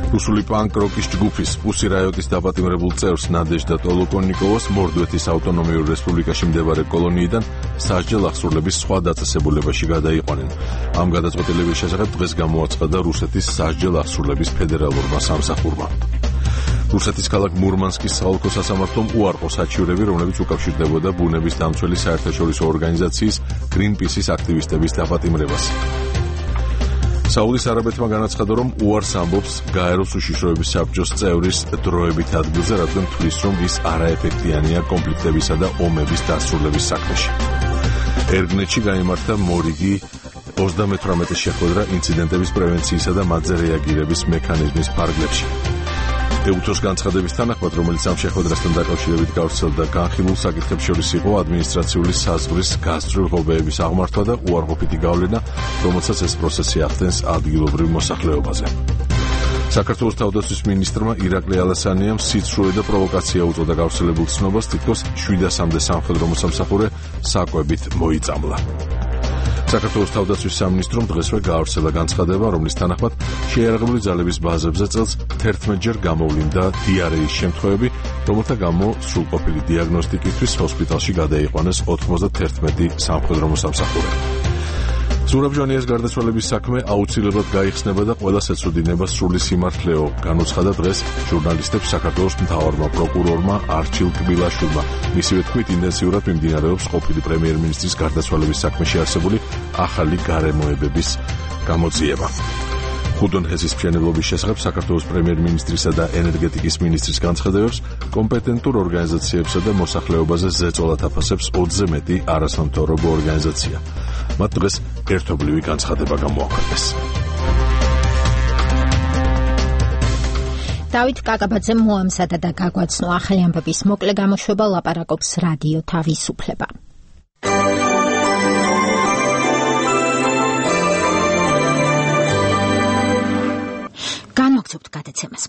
B: რუსული პანკ-როკის ჯგუფის პუსი რაიოტის დაპატიმრებულ წევრს ნადეჟდა ტოლოკონიკოვას მორდვეთის ავტონომიურ რესპუბლიკაში მდებარე კოლონიიდან სასჯელ აღსრულების სხვა დაწესებულებაში გადაიყვანენ. ამ გადაწყვეტილების შესახებ დღეს გამოაცხადა რუსეთის სასჯელ აღსრულების ფედერალურმა სამსახურმა. რუსეთის ქალაქ მურმანსკის საოლქო სასამართლომ უარყო საჩივრები, რომლებიც უკავშირდებოდა ბუნების დამცველი საერთაშორისო ორგანიზაციის Greenpeace-ის აქტივისტების დაპატიმრებას. საუდის არაბეთმა განაცხადა, რომ უარს ამბობს გაეროს უშიშროების საბჭოს წევრის დროებით ადგილზე, რადგან თვლის, რომ ის არაეფექტიანია კონფლიქტებისა და ომების დასრულების საქმეში. ერგნეთში გაიმართა მორიგი 38 შეხვედრა ინციდენტების პრევენციისა და მათზე რეაგირების მექანიზმის ფარგლებში. ეუთოს განცხადების თანახმად, რომელიც ამ შეხვედრასთან დაკავშირებით გავრცელდა, განხილულ საკითხებს შორის იყო ადმინისტრაციული საზღვრის გასწვრივ ღობეების აღმართვა და უარყოფითი გავლენა, რომელსაც ეს პროცესი ახდენს ადგილობრივ მოსახლეობაზე. საქართველოს თავდაცვის მინისტრმა ირაკლი ალასანიამ სიცრუე და პროვოკაცია უწოდა გავრცელებულ ცნობას, თითქოს 700-მდე სამხედრო მოსამსახურე საკვებით მოიწამლა. საქართველოს თავდაცვის სამინისტრომ დღესვე გაავრცელა განცხადება, რომლის თანახმად შეიარაღებული ძალების ბაზებზე წელს 11-ჯერ გამოვლინდა დიარეის შემთხვევები, რომელთა გამო სრულყოფილი დიაგნოსტიკისთვის ჰოსპიტალში გადაიყვანეს 91 სამხედრო მოსამსახურე. ზურაბ-ჟვანიას გარდაცვალების საქმე აუცილებლად გაიხსნება და ყველას ეცოდინება სრული სიმართლეო, განუცხადა დღეს ჟურნალისტებს საქართველოს მთავარმა პროკურორმა არჩილ კბილაშვილმა. მისივე თქმით, ინტენსიურად მიმდინარეობს ყოფილი პრემიერ-მინისტრის გარდაცვალების საქმეში არსებული ახალი გარემოებების გამოძიება. ხუდონ ჰესის მშენებლობის შესახებ საქართველოს პრემიერ-მინისტრისა და ენერგეტიკის მინისტრის განცხადებებს კომპეტენტურ ორგანიზაციებსა და მოსახლეობაზე ზეწოლად აფასებს 20-ზე მეტი არასამთავრობო ორგანიზაცია. მათ დღეს ერთობლივი განცხადება გამოაქვეყნეს.
A: დავით კაკაბაძე მოამზადა და გაგვაცნო ახალი ამბების მოკლე გამოშვება, ლაპარაკობს რადიო თავისუფლება. განვაგრძობთ გადაცემას.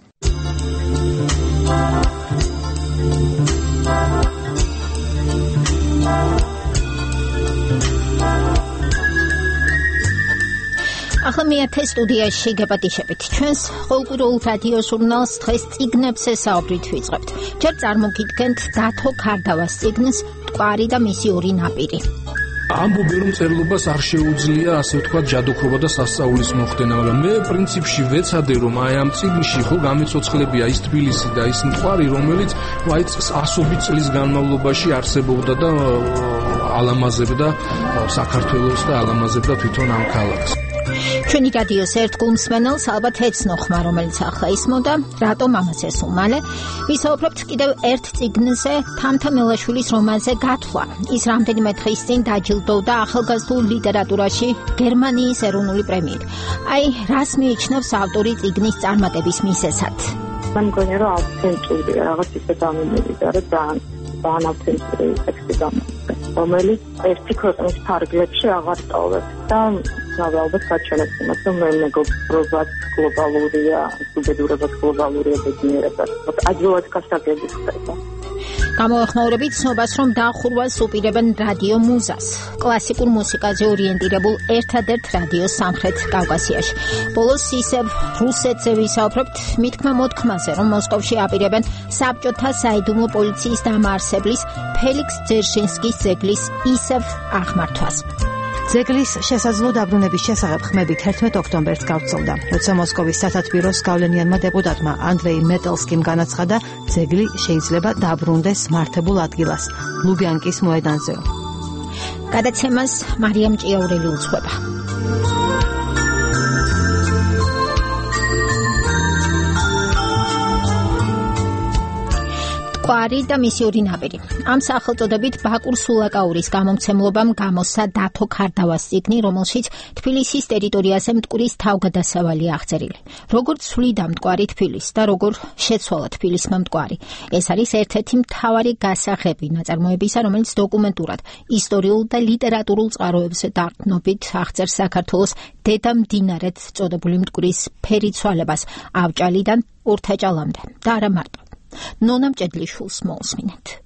A: ახლა მეათე სტუდიაში გეპატიშებით. ჩვენს ყოველკვირეულ რადიო ჟურნალს დღეს წიგნებს ესაუბრით ვიწყებთ. ჯერ წარმოგიდგენთ დათო ქარდავას წიგნს „მტკვარი და მისი ორი ნაპირი“.
L: ამბობენ, რომ წერლობას არ შეუძლია, ასე ვთქვათ, ჯადოქრობა და სასწაულის მოხდენა, მაგრამ მე პრინციპში ვეცადე, რომ აი ამ წიგნში ხო გამეცოცხლებია ის თბილისი და ის მტკვარი, რომელიც აი ასობით წლის განმავლობაში არსებობდა და ალამაზებდა საქართველოს და ალამაზებდა თვითონ ამ ქალაქს.
A: ჩვენი რადიოს ერთ გულმსმენელს ალბათ ეცნო ხმა, რომელიც ახლა ისმოდა, რატომ ამას ესულ მალე ვისაუბრებთ კიდევ ერთ წიგნზე, თამთა მელაშვილის რომანზე გათვლა. ის რამდენიმე დღის წინ დაჯილდოვდა ახალგაზრდულ ლიტერატურაში გერმანიის ეროვნული პრემიით. აი, რას მიიჩნევს ავტორი წიგნის წარმატების მიზეზად?
Q: მან მგონია, რომ ავთენტურია, რაღაც ისე დამიმევიდა, რომ ძალიან ავთენტური ტექსტი გამოდგა, რომელიც ერთი ქვეყნის ფარგლებში აღარ ტოვებს და ალბათ გაჩვენებს იმას, რომ მეგობრობაც გლობალურია, უბედურებაც გლობალურია, ბედნიერებაც ადვილად გასაგები ხდება.
A: გამოეხმაურებით ცნობას, რომ დახურვას უპირებენ რადიო მუზას, კლასიკურ მუსიკაზე ორიენტირებულ ერთადერთ რადიოს სამხრეთ კავკასიაში. ბოლოს ისევ რუსეთზე ვისაუბრებთ მითქმა მოთქმაზე, რომ მოსკოვში აპირებენ საბჭოთა საიდუმლო პოლიციის დამაარსებლის ფელიქს ძერშინსკის ძეგლის ისევ აღმართვას.
C: ძეგლის შესაძლო დაბრუნების შესახებ ხმები 11 ოქტომბერს გავრცელდა, როცა მოსკოვის სათათბიროს გავლენიანმა დეპუტატმა ანდრეი მეტელსკიმ განაცხადა, ძეგლი შეიძლება დაბრუნდეს მართებულ ადგილას, ლუბიანკის მოედანზე.
A: გადაცემას მარიამ ჭიაურელი უძღვება. მტკვარი და მისი ორი ნაპირი. ამ სახელწოდებით ბაკურ სულაკაურის გამომცემლობამ გამოსცა დათო ქარდავას წიგნი, რომელშიც თბილისის ტერიტორიაზე მტკვრის თავგადასავალია აღწერილი. როგორ ცვლიდა მტკვარი თბილისს და როგორ შეცვალა თბილისმა მტკვარი. ეს არის ერთ-ერთი მთავარი გასაღები ნაწარმოებისა, რომელიც დოკუმენტურად, ისტორიულ და ლიტერატურულ წყაროებზე დაყრდნობით აღწერს საქართველოს დედა მდინარედ წოდებული მტკვრის ფერიცვალებას ავჭალიდან ურთაჭალამდე და არა მარტო. ნონა მჭედლიშვილს მოусმინეთ.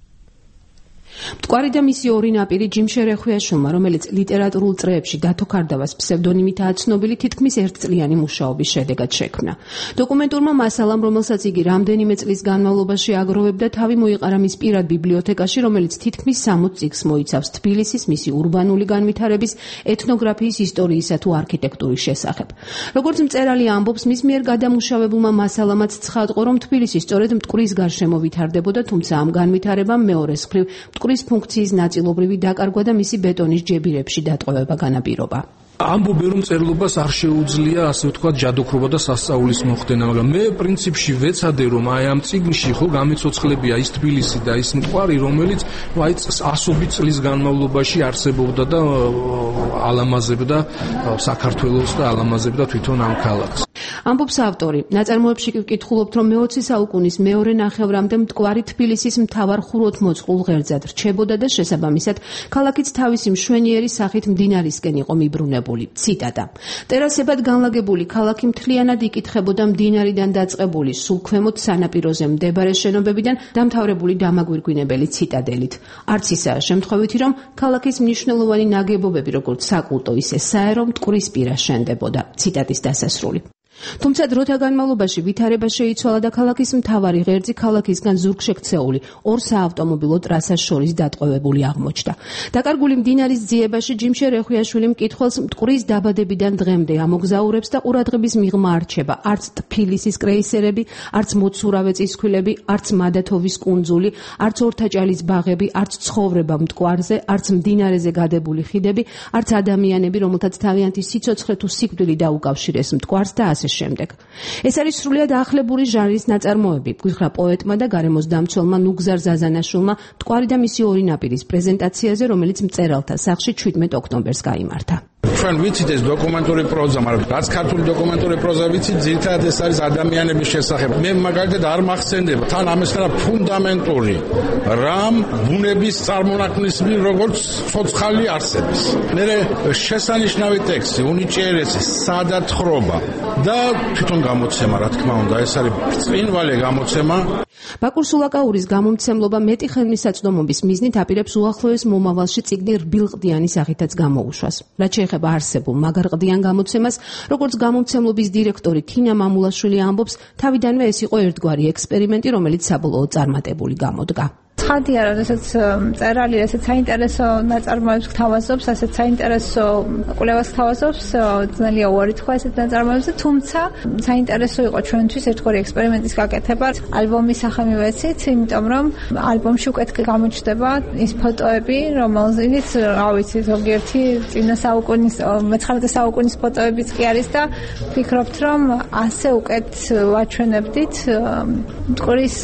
R: მტკვარი და მისი ორი ნაპირი ჯიმშე რეხვიაშვილმა, რომელიც ლიტერატურულ წრეებში დათო ქარდავას ფსევდონიმითაა ცნობილი, თითქმის ერთწლიანი მუშაობის შედეგად შექმნა. დოკუმენტურმა მასალამ, რომელსაც იგი რამდენიმე წლის განმავლობაში აგროვებდა, თავი მოიყარა მის პირად ბიბლიოთეკაში, რომელიც თითქმის 60 წიგნს მოიცავს თბილისის, მისი ურბანული განვითარების, ეთნოგრაფიის, ისტორიისა თუ არქიტექტურის შესახებ. როგორც მწერალი ამბობს, მის მიერ გადამუშავებულმა მასალამაც ცხადყო, რომ თბილისი სწორედ მტკვრის გარშემო ვითარდებოდა, თუმცა ამ განვითარებამ მეორეს მხრივ მტკვრის ფუნქციის ნაწილობრივი დაკარგვა და მისი ბეტონის ჯებირებში დატყვევება განაპირობა.
L: ამბობენ, რომ წერლობას არ შეუძლია, ასე ვთქვათ, ჯადოქრობა და სასწაულის მოხდენა, მაგრამ მე პრინციპში ვეცადე, რომ აი ამ წიგნში ხო გამეცოცხლებია ის თბილისი და ის მტკვარი, რომელიც აი ასობით წლის განმავლობაში არსებობდა და ალამაზებდა საქართველოს და ალამაზებდა თვითონ ამ ქალაქს.
R: ამბობს ავტორი, ნაწარმოებში კი ვკითხულობთ, რომ მე-20 საუკუნის მეორე ნახევრამდე მტკვარი თბილისის მთავარ ხუროთმოწყურ ღერძად რჩებოდა და შესაბამისად ქალაქიც თავისი მშვენიერი სახით მდინარისკენ იყო მიბრუნებული. ციტატა. ტერასებად განლაგებული ქალაქი მთლიანად იკითხებოდა მდინარიდან დაწყებული სულ ქვემოთ სანაპიროზე მდებარე შენობებიდან დამთავრებული დამაგვირგვინებელი ციტადელით. არც ისაა შემთხვევითი, რომ ქალაქის მნიშვნელოვანი ნაგებობები, როგორც საკულტო, ისე საერო მტკვრის პირას შენდებოდა. ციტატის დასასრული. თუმცა დროთა განმავლობაში ვითარება შეიცვალა და ქალაქის მთავარი ღერძი ქალაქისგან ზურგშექცეული ორ საავტომობილო ტრასას შორის დატყვევებული აღმოჩნდა. დაკარგული მდინარის ძიებაში ჯიმშე რეხვიაშვილი მკითხველს მტკვრის დაბადებიდან დღემდე ამოგზაურებს და ყურადღების მიღმა არჩება არც თბილისის კრეისერები, არც მოცურავე წისქვილები, არც მადათოვის კუნძული, არც ორთაჭალის ბაღები, არც ცხოვრება მტკვარზე, არც მდინარეზე გადებული ხიდები, არც ადამიანები, რომელთაც თავიანთი სიცოცხლე თუ სიკვდილი დაუკავშირეს მტკვარს და ასე შემდეგ. ეს არის სრულიად ახლებული ჟანრის ნაწარმოები, გვიხრა პოეტმა და გარემოს დამცველმა ნუგზარ ზაზანაშვილმა მტკვარი და მისი ორი ნაპირის პრეზენტაციაზე, რომელიც მწერალთა სახლში 17 ოქტომბერს გაიმართა.
S: ჩვენ ვიცით ეს დოკუმენტური პროზა, მაგრამ რაც ქართული დოკუმენტური პროზა ვიცით, ძირითადად ეს არის ადამიანების შესახებ. მე მაგალითად არ მახსენდება თან ამისგან ფუნდამენტური რამ ბუნების წარმონაქმნის მიერ როგორც ცოცხალი არსების. მერე შესანიშნავი ტექსტი, უნიჭიერესი, სადათხრობა და თვითონ გამოცემა, რა თქმა უნდა, ეს არის ბრწყინვალე გამოცემა.
R: ბაკურ სულაკაურის გამომცემლობა მეტი ხელმისაწვდომობის მიზნით აპირებს უახლოეს მომავალში წიგნი რბილყდიანი სახითაც გამოუშვას. რაც შეეხება არსებულ მაგარყდიან გამოცემას, როგორც გამომცემლობის დირექტორი თინა მამულაშვილი ამბობს, თავიდანვე ეს იყო ერთგვარი ექსპერიმენტი, რომელიც საბოლოოდ წარმატებული გამოდგა.
T: ცხადია, როდესაც წერალი ესეც საინტერესო ნაწარმოებს გთავაზობს, ასეთ საინტერესო კვლევას გთავაზობს, ძნელია უარი თქვა ესეთ ნაწარმოებზე, თუმცა საინტერესო იყო ჩვენთვის ერთგვარი ექსპერიმენტის გაკეთება. ალბომის სახე მივეცით, იმიტომ რომ ალბომში უკეთ გამოჩნდება ის ფოტოები, რომელზეც, რა ვიცი, ზოგიერთი წინა საუკუნის 19 საუკუნის ფოტოებიც კი არის და ვფიქრობთ, რომ ასე უკეთ ვაჩვენებდით მტკვრის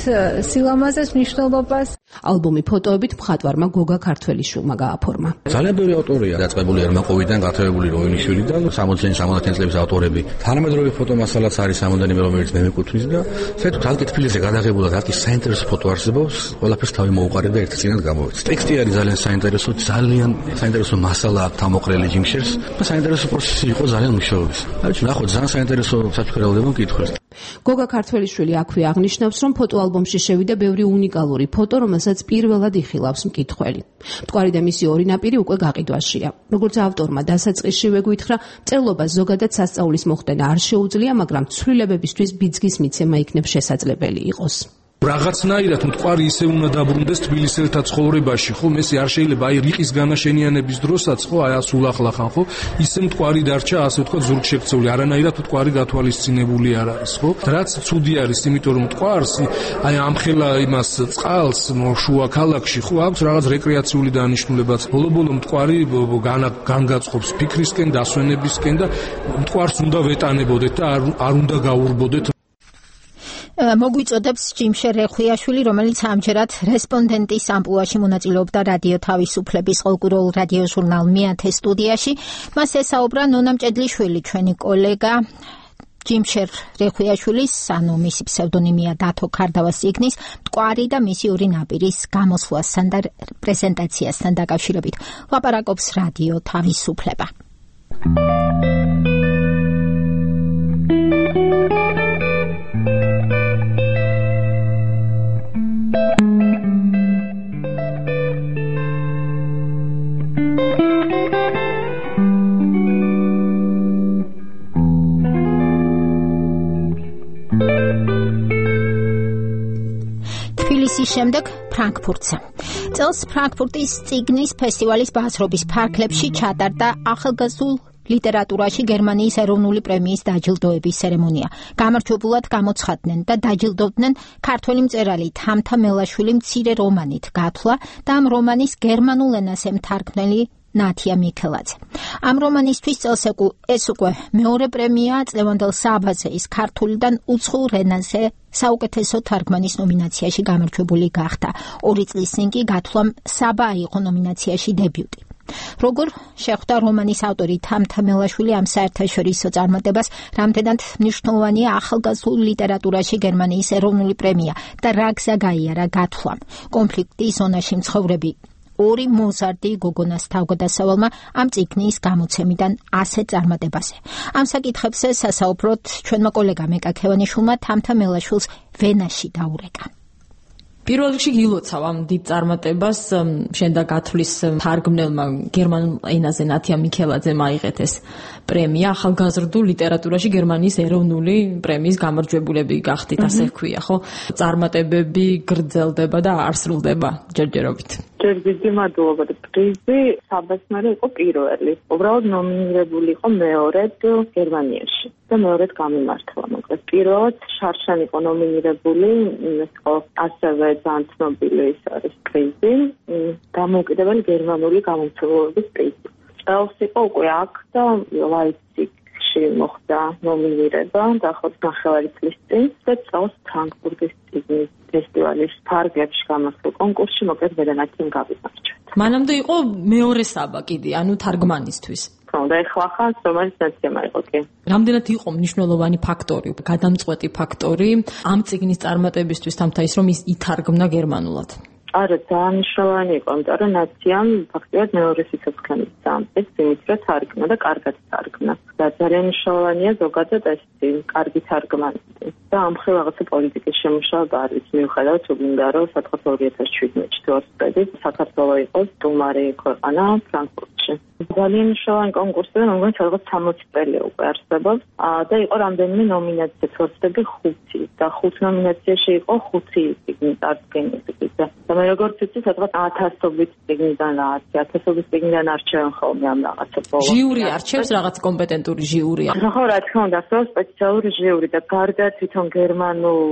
T: სილამაზეს, მნიშვნელობას.
R: ალბომი ფოტოებით მხატვარმა გოგა ქართველიშვილმა გააფორმა.
U: ძალიან ბევრი ავტორია დაწყებული ერმაკოვიდან, გათხოვებული როინიშვილიდან, 60-70 წლების ავტორები. თანამედროვე ფოტომასალაც არის სამოდენიმე, რომელიც მე მეკუთვნის და საერთოდ ალკი თბილისზე გადაღებულად ალკი საინტერესო ფოტო არსებობს, ყველაფერს თავი მოუყარეთ და ერთ წინად გამოვეცით. ტექსტი არის ძალიან საინტერესო, ძალიან საინტერესო მასალა აქვს თამოყრელი ჯიმშერს და საინტერესო პროცესი იყო ძალიან მნიშვნელოვანი. აი, ნახოთ, ძალიან საინტერესო საფიქრებელდება მკითხველს.
R: გოგა ქართველიშვილი აქვე აღნიშნავს, რომ ფოტოალბომში შევიდა ბევრი უნიკალური ფოტო, რომელსაც პირველად იხილავს მკითხველი. მტკვარი და მისი ორი ნაპირი უკვე გაყიდვაშია. როგორც ავტორმა დასაწყისშივე გვითხრა, მწერლობას ზოგადად სასწაულის მოხდენა არ შეუძლია, მაგრამ ცვლილებებისთვის ბიძგის მიცემა იქნებ შესაძლებელი იყოს.
L: რაღაცნაირად მტკვარი ისე უნდა დაბრუნდეს თბილისელთა ცხოვრებაში, ხო? მესი არ შეიძლება აი რიყის განაშენიანების დროსაც, ხო, აი ასულახლახან, ხო? ისე მტკვარი დარჩა, ასე ვთქვათ, ზურგშექცეული, არანაირად მტკვარი გათვალისწინებული არ არის, ხო? რაც ცუდი არის, იმიტომ რომ მტკვარს აი ამხელა იმას წყალს შუა ქალაქში, ხო, აქვს რაღაც რეკრეაციული დანიშნულებაც. ბოლო-ბოლო მტკვარი განგაწყობს ფიქრისკენ, დასვენებისკენ და მტკვარს უნდა ვეტანებოდეთ და არ უნდა გაურბოდეთ.
A: მოგვიწოდებს ჯიმშერ რეხვიაშვილი, რომელიც ამჯერად რესპონდენტის ამპლუაში მონაწილეობდა რადიო თავისუფლების ყოლკურულ რადიო ჟურნალ მეათე სტუდიაში. მას ესაუბრა ნონა მჭედლიშვილი, ჩვენი კოლეგა. ჯიმშერ რეხვიაშვილის, ანუ მისი ფსევდონიმია დათო ქარდავას ციგნის მტკვარი და მისი ორი ნაპირის გამოსვლასთან და პრეზენტაციასთან დაკავშირებით ლაპარაკობს რადიო თავისუფლება. თბილისის შემდეგ ფრანკფურტზე. წელს ფრანკფურტის ციგნის ფესტივალის ბაზრობის ფარგლებში ჩატარდა ახალგაზრდულ ლიტერატურაში გერმანიის ეროვნული პრემიის დაჯილდოების ცერემონია. გამარჯვებულად გამოცხადდნენ და დაჯილდოვდნენ ქართველი მწერალი თამთა მელაშვილი მცირე რომანით გათვლა და ამ რომანის გერმანულ ენაზე მთარგმნელი ნათია მიქელაძე. ამ რომანისთვის წელს ეს უკვე მეორე პრემია წლევანდელ საბაზე ის ქართულიდან უცხოურ ენაზე საუკეთესო თარგმანის ნომინაციაში გამარჯვებული გახდა. 2 წლის წინ კი გათვლამ საბა იყო ნომინაციაში დებიუტი. როგორ შეხვდა რომანის ავტორი თამთა მელაშვილი ამ საერთაშორისო წარმატებას, რამდენად მნიშვნელოვანია ახალგაზრდულ ლიტერატურაში გერმანიის ეროვნული პრემია და რა გზა გაიარა გათვლამ. კონფლიქტის ზონაში მცხოვრები ორი მოზარდი გოგონას თავგადასავალმა ამ წიგნის გამოცემიდან ასეთ წარმატებაზე. ამ საკითხებზე სასაუბროთ ჩვენმა კოლეგამ მეკა ქევანიშვილმა თამთა მელაშვილს ვენაში დაურეკა.
J: პირველ რიგში გილოცავ ამ დიდ წარმატებას, შენ და გათვლის თარგმნელმა გერმანულ ენაზე ნათია მიქელაძემ აიღეთ ეს პრემია ახალგაზრდულ ლიტერატურაში გერმანიის ეროვნული პრემიის გამარჯვებულები გახდით, ასე ვქვია, ხო? წარმატებები გრძელდება და არ სრულდება ჯერჯერობით.
Q: ჯერ დიდი მადლობა. პრიზი საბასმარი იყო პირველი. უბრალოდ ნომინირებული იყო მეორედ გერმანიაში და მეორედ გამიმართლა. მოკლედ პირველად შარშან იყო ნომინირებული, ეს იყო ასევე ძალიან ცნობილი ის არის პრიზი, დამოუკიდებელი გერმანული გამომცემლობის პრიზი. წელს იყო უკვე აქ და ლაიფციგში მოხდა ნომინირება და ხო 9 წლის წინ და წელს ფრანკფურტის ციგნის ფესტივალის ფარგლებში გამოსულ კონკურსში მოკლედ ვედანათიმ გავიმარჯვეთ.
J: მანამდე იყო მეორე საბა კიდე, ანუ თარგმანისთვის.
Q: და ეხლა ხან რომელიც ნაცემა იყო კი.
J: რამდენად იყო მნიშვნელოვანი ფაქტორი, გადამწყვეტი ფაქტორი ამ ციგნის წარმატებისთვის თამთა ის რომ ის ითარგმნა გერმანულად?
Q: არა, ძალიან მნიშვნელოვანი იყო, იმიტომ რომ ნაციამ ფაქტობრივად მეორე სიცოცხლეების სამწეს იმით რომ თარგმნა და კარგად თარგმნა. და ძალიან მნიშვნელოვანია ზოგადად ეს კარგი თარგმანები. და ამხრივ რაღაცა პოლიტიკის შემუშავება არის, მიუხედავად უნდა რომ სადღაც 2017 წელს საქართველოს იყო სტუმარი ქვეყანა ფრანკფურტში. ძალიან მნიშვნელოვანი კონკურსია, რომელიც სადღაც 60 წელია უკვე არსებობს და იყო რამდენიმე ნომინაცია, თორსები 5 და 5 ნომინაციაში იყო 5 წარდგენები. და მე როგორც ვიცი, სადღაც 1000-ობით წიგნიდან რაღაც 1000-ობით წიგნიდან არჩევენ ხოლმე ამ რაღაცებს.
R: ჟიური არჩევს რაღაც კომპეტენტური ჟიური.
Q: ხო, რა თქმა უნდა, ხო, სპეციალური ჟიური და გარდა თვითონ გერმანულ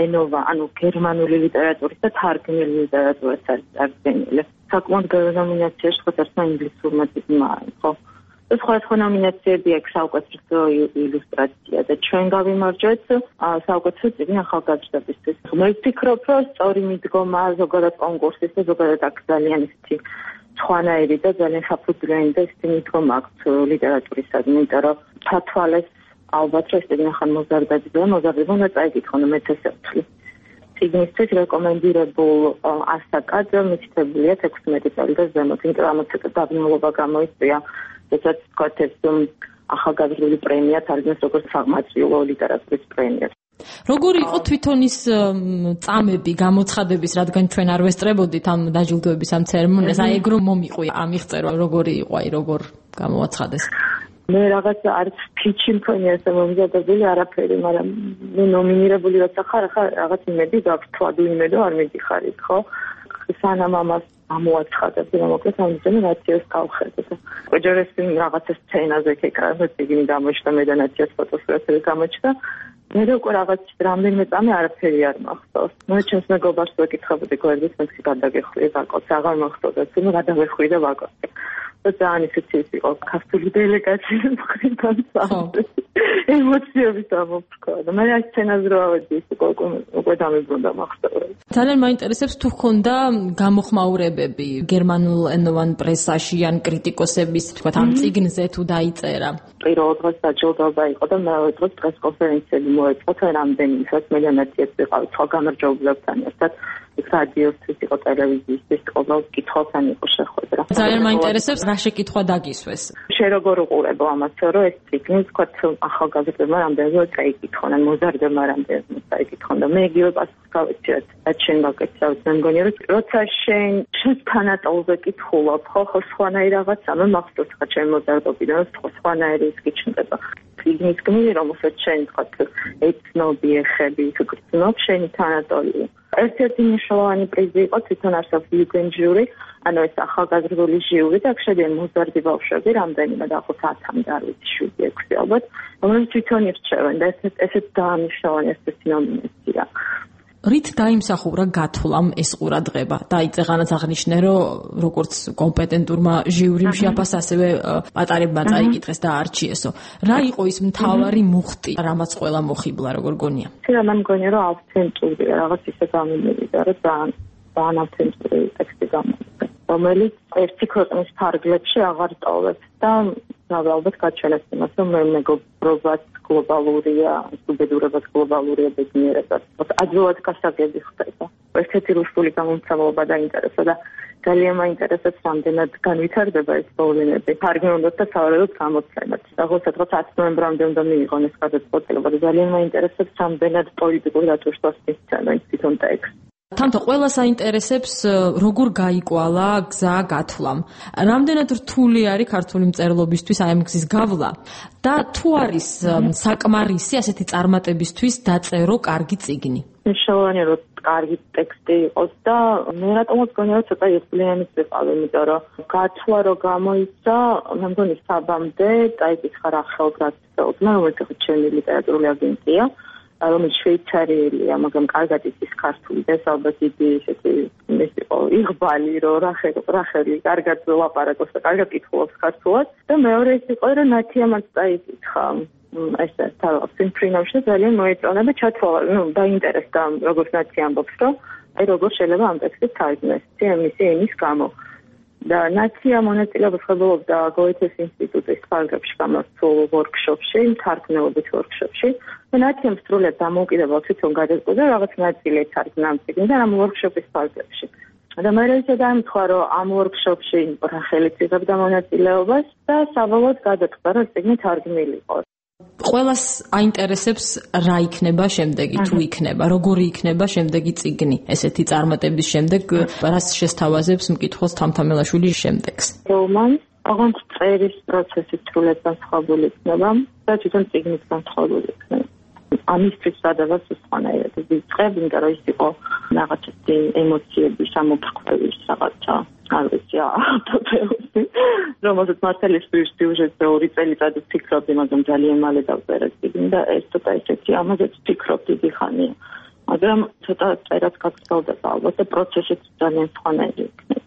Q: ენოვა, ანუ გერმანული ლიტერატურის და თარგმნილი ლიტერატურის აღდგენილი. საკმაოდ ბევრი ნომინაციაში ხოთარსა ინგლისურმა წიგნმა არის, ხო? სხვა ნომინაციები აქვს საუკეთესო ილუსტრაცია და ჩვენ გავიმარჯვეთ საუკეთესო წიგნი ახალგაზრდებისთვის. მე ვფიქრობ, რომ სწორი მიდგომა ზოგადად კონკურსის და ზოგადად აქ ძალიან ისეთი სხვანაირი და ძალიან საფუძვლიანი და ისეთი მიდგომა აქვს ლიტერატურისადმი, იმიტომ რომ თათვალეს ალბათ რომ ეს წიგნი ხან მოზარდება უნდა წაიკითხონ მე-11. წიგნისთვის რეკომენდირებულ ასაკად მითითებულია 16 წელი და ზემოთ, იმიტომ რომ ცოტა დაბნელობა გამოიწვია. ეცად ვთქვათ, ეს ახალგაზრდული პრემია თარგმნის როგორც სამართლო ლიტერატურის პრემია.
R: როგორი იყო თვითონ ის წამები, გამოცხადების, რადგან ჩვენ არ ვესწრებოდით ამ დაჯილდოების ამ ცერემონიას, აი ეგ რომ მომიყვია ამ მიღწევა, როგორი იყო, აი როგორ გამოაცხადეს?
Q: მე რაღაც არც ფიჩი მქონია ესე მომზადებული არაფერი, მაგრამ მე ნომინირებული როცა ხარ, ახლა რაღაც იმედი გაქვს, თვადუ იმედო არ მიდიხარ იქ, ხო? სანამ ამას ამოაცხადებ, მოკლედ ამიტომ ნაციას გავხედე და ოჯახის რაღაცა სცენაზე ეკრანზე წიგნი გამოჩნდა, მე და ნაციას ფოტოსურათები გამოჩნდა. მე უკვე რაღაც რამდენიმე წამი არაფერი არ მახსოვს. მე ჩემს მეგობარს ვეკითხებოდი გვერდით, მე გადაგეხვიე ვაკოც, აღარ მახსოვდა, თუმცა გადაგეხვიე და ვაკოც. და ძალიან ისეთი იყო ქართული დელეგაციის მხრიდან ემოციები დამოფრქვა და მე ეს სცენაზე რო ავედი ის უკვე დამებრუნდა მახსოვს.
R: ძალიან მაინტერესებს თუ ხონდა გამოხმაურებები გერმანულ ენოვან პრესაში ან კრიტიკოსების თქვათ ამ წიგნზე თუ დაიწერა.
Q: პირველ დღეს დაჯილდოება იყო და მეორე დღეს პრესკონფერენციები მოეწყო რამდენი დღეს მე და ნაციაც ვიყავით სხვა გამარჯვებულებთან ერთად. იქ რადიოსთვის იყო, ტელევიზიისთვის იყო, კითხვასთან იყო შეხვედრა.
R: ძალიან მაინტერესებს რა შეკითხვა დაგისვეს.
Q: შენ როგორ უყურებო ამას, რომ ეს წიგნი თქვათ ახალგაზრდებმა რამდენიმე წაიკითხონ, ან მოზარდებმა რამდენიმე წაიკითხონ და მე იგივე პასუხს გავეცეთ. რაც შენ გაკეთებთ, მე მგონი რომ როცა შენ თანატოლზე კითხულობ, ხო სხვანაირი რაღაცა, მე მახსოვს ხა ჩემ მოზარდობიდან სხვანაირი ის გიჩნდება. წიგნის გმირი, რომელსაც შენ თქვათ ეცნობი ეხები, თუ გრძნობ შენი თანატოლი. ერთ-ერთი მნიშვნელოვანი პრიზი იყო თვითონ არსებობს იუგენდჟიური, ანუ ეს ახალგაზრდული ჟიური და აქ შედიან მოზარდი ბავშვები, რამდენიმე და 1000-მდე არ ვიცი 7-6 ალბათ, რომელიც თვითონ ირჩევენ და ესეც დაამნიშნავენ ეს ნომინაცია.
R: რით დაიმსახურა გათვლამ ეს ყურადღება? დაიწყანაც აღნიშნე, რომ როგორც კომპეტენტურმა ჟიურიმ შეაფას, ასევე პატარებმა წაიკითხეს და არჩიესო. რა იყო ის მთავარი მუხტი, რამაც ყველა მოხიბლა, როგორ გონია?
Q: მე მგონია, რომ ავთენტური რაღაც ისე გამიმივიდა, რომ ძალიან ავთენტური ტექსტი გამოვიდა, რომელიც ერთი ქვეყნის ფარგლებში აღარ ტოვებს და ალბათ გაჩვენებს იმას, რომ მეგობრობაც გლობალურია, უბედურებაც გლობალურია, ბედნიერებაც. ადვილად გასაგები ხდება. ერთ-ერთი რუსული გამომცემლობა დაინტერესა და ძალიან მაინტერესებს, რამდენად განვითარდება ეს პრობლემები. თარგმნილობთ და სავარაუდოდ გამოცემათ. სადღაც 10 ნოემბრამდე უნდა მიიღონ ეს გადაწყვეტილება და ძალიან მაინტერესებს, რამდენად პოლიტიკურ დათვისებას მისცემენ თვითონ ტექსტს.
R: თამთა ყველას აინტერესებს როგორ გაიკვალა გზა გათვლამ. რამდენად რთული არის ქართული მწერლობისთვის აი ამ გზის გავლა და თუ არის საკმარისი ასეთი წარმატებისთვის დაწერო კარგი წიგნი.
Q: მნიშვნელოვანია რომ კარგი ტექსტი იყოს და მე რატომაც გონია რომ ცოტა იხვლიანიც ვიყავ, იმიტომ რომ გათვლა რო გამოიცა, მე მგონი საბამდე წაიკითხა რა ხელგასწეულმა, რომელიც ხო ჩემი ლიტერატურული აგენტია. რომელიც შვეიცარიელია, მაგრამ კარგად იცის ქართული და ალბათ იგი ესეთი იღბალი, რომ რახელი კარგად ლაპარაკობს და კარგად კითხულობს ქართულად და მეორე ის იყო, რომ ნათიამაც წაიკითხა ესე თავის პრინავში ძალიან მოეწონა და ჩათვალა, დაინტერესდა როგორც ნათი ამბობს, რომ აი როგორ შეიძლება ამ ტექსტს თარგმნეს, იმის გამო. და ნაცია მონაწილეობას ხდებოდა გოეთეს ინსტიტუტის ფარგლებში გამართულ ვორქშოპში, თარგმნელობით ვორქშოპში. და ნაციამ სრულად დამოუკიდებელ თვითონ გადაწყვიტა რაღაც ნაწილი თარგმნა ამ წიგნიდან ამ ვორქშოპის ფარგლებში. და მე ისე დაემთხვა, რომ ამ ვორქშოპში რახელიც იღებდა მონაწილეობას და საბოლოოდ გადაწყვიტა, რომ წიგნი თარგმნილი იყო.
R: ყველას აინტერესებს რა იქნება შემდეგი, თუ იქნება, როგორი იქნება შემდეგი წიგნი. ესეთი წარმატების შემდეგ რას შესთავაზებს მკითხველს თამთამელაშვილი შემდეგს?
Q: რომანს, ოღონდ წერის პროცესი სრულად განსხვავებული იქნება და თვითონ წიგნიც განსხვავებული იქნება. ამისთვის სადავას უცხანაირად ვიწყებ, იმიტომ რომ ის იყო რაღაცა ემოციების ამოფრქვევის რაღაცა არ ვიცი ავტოტრეუსი რომელსაც მართალია სიუჟეტზე 2 წელიწადი ვფიქრობდი, მაგრამ ძალიან მალე დავწერე და ეს ცოტა ისეთი ამაზეც ვფიქრობ დიდი ხანია. მაგრამ ცოტა წერაც გაგრძელდება ალბათ და პროცესიც ძალიან სხვანაირი იქნება.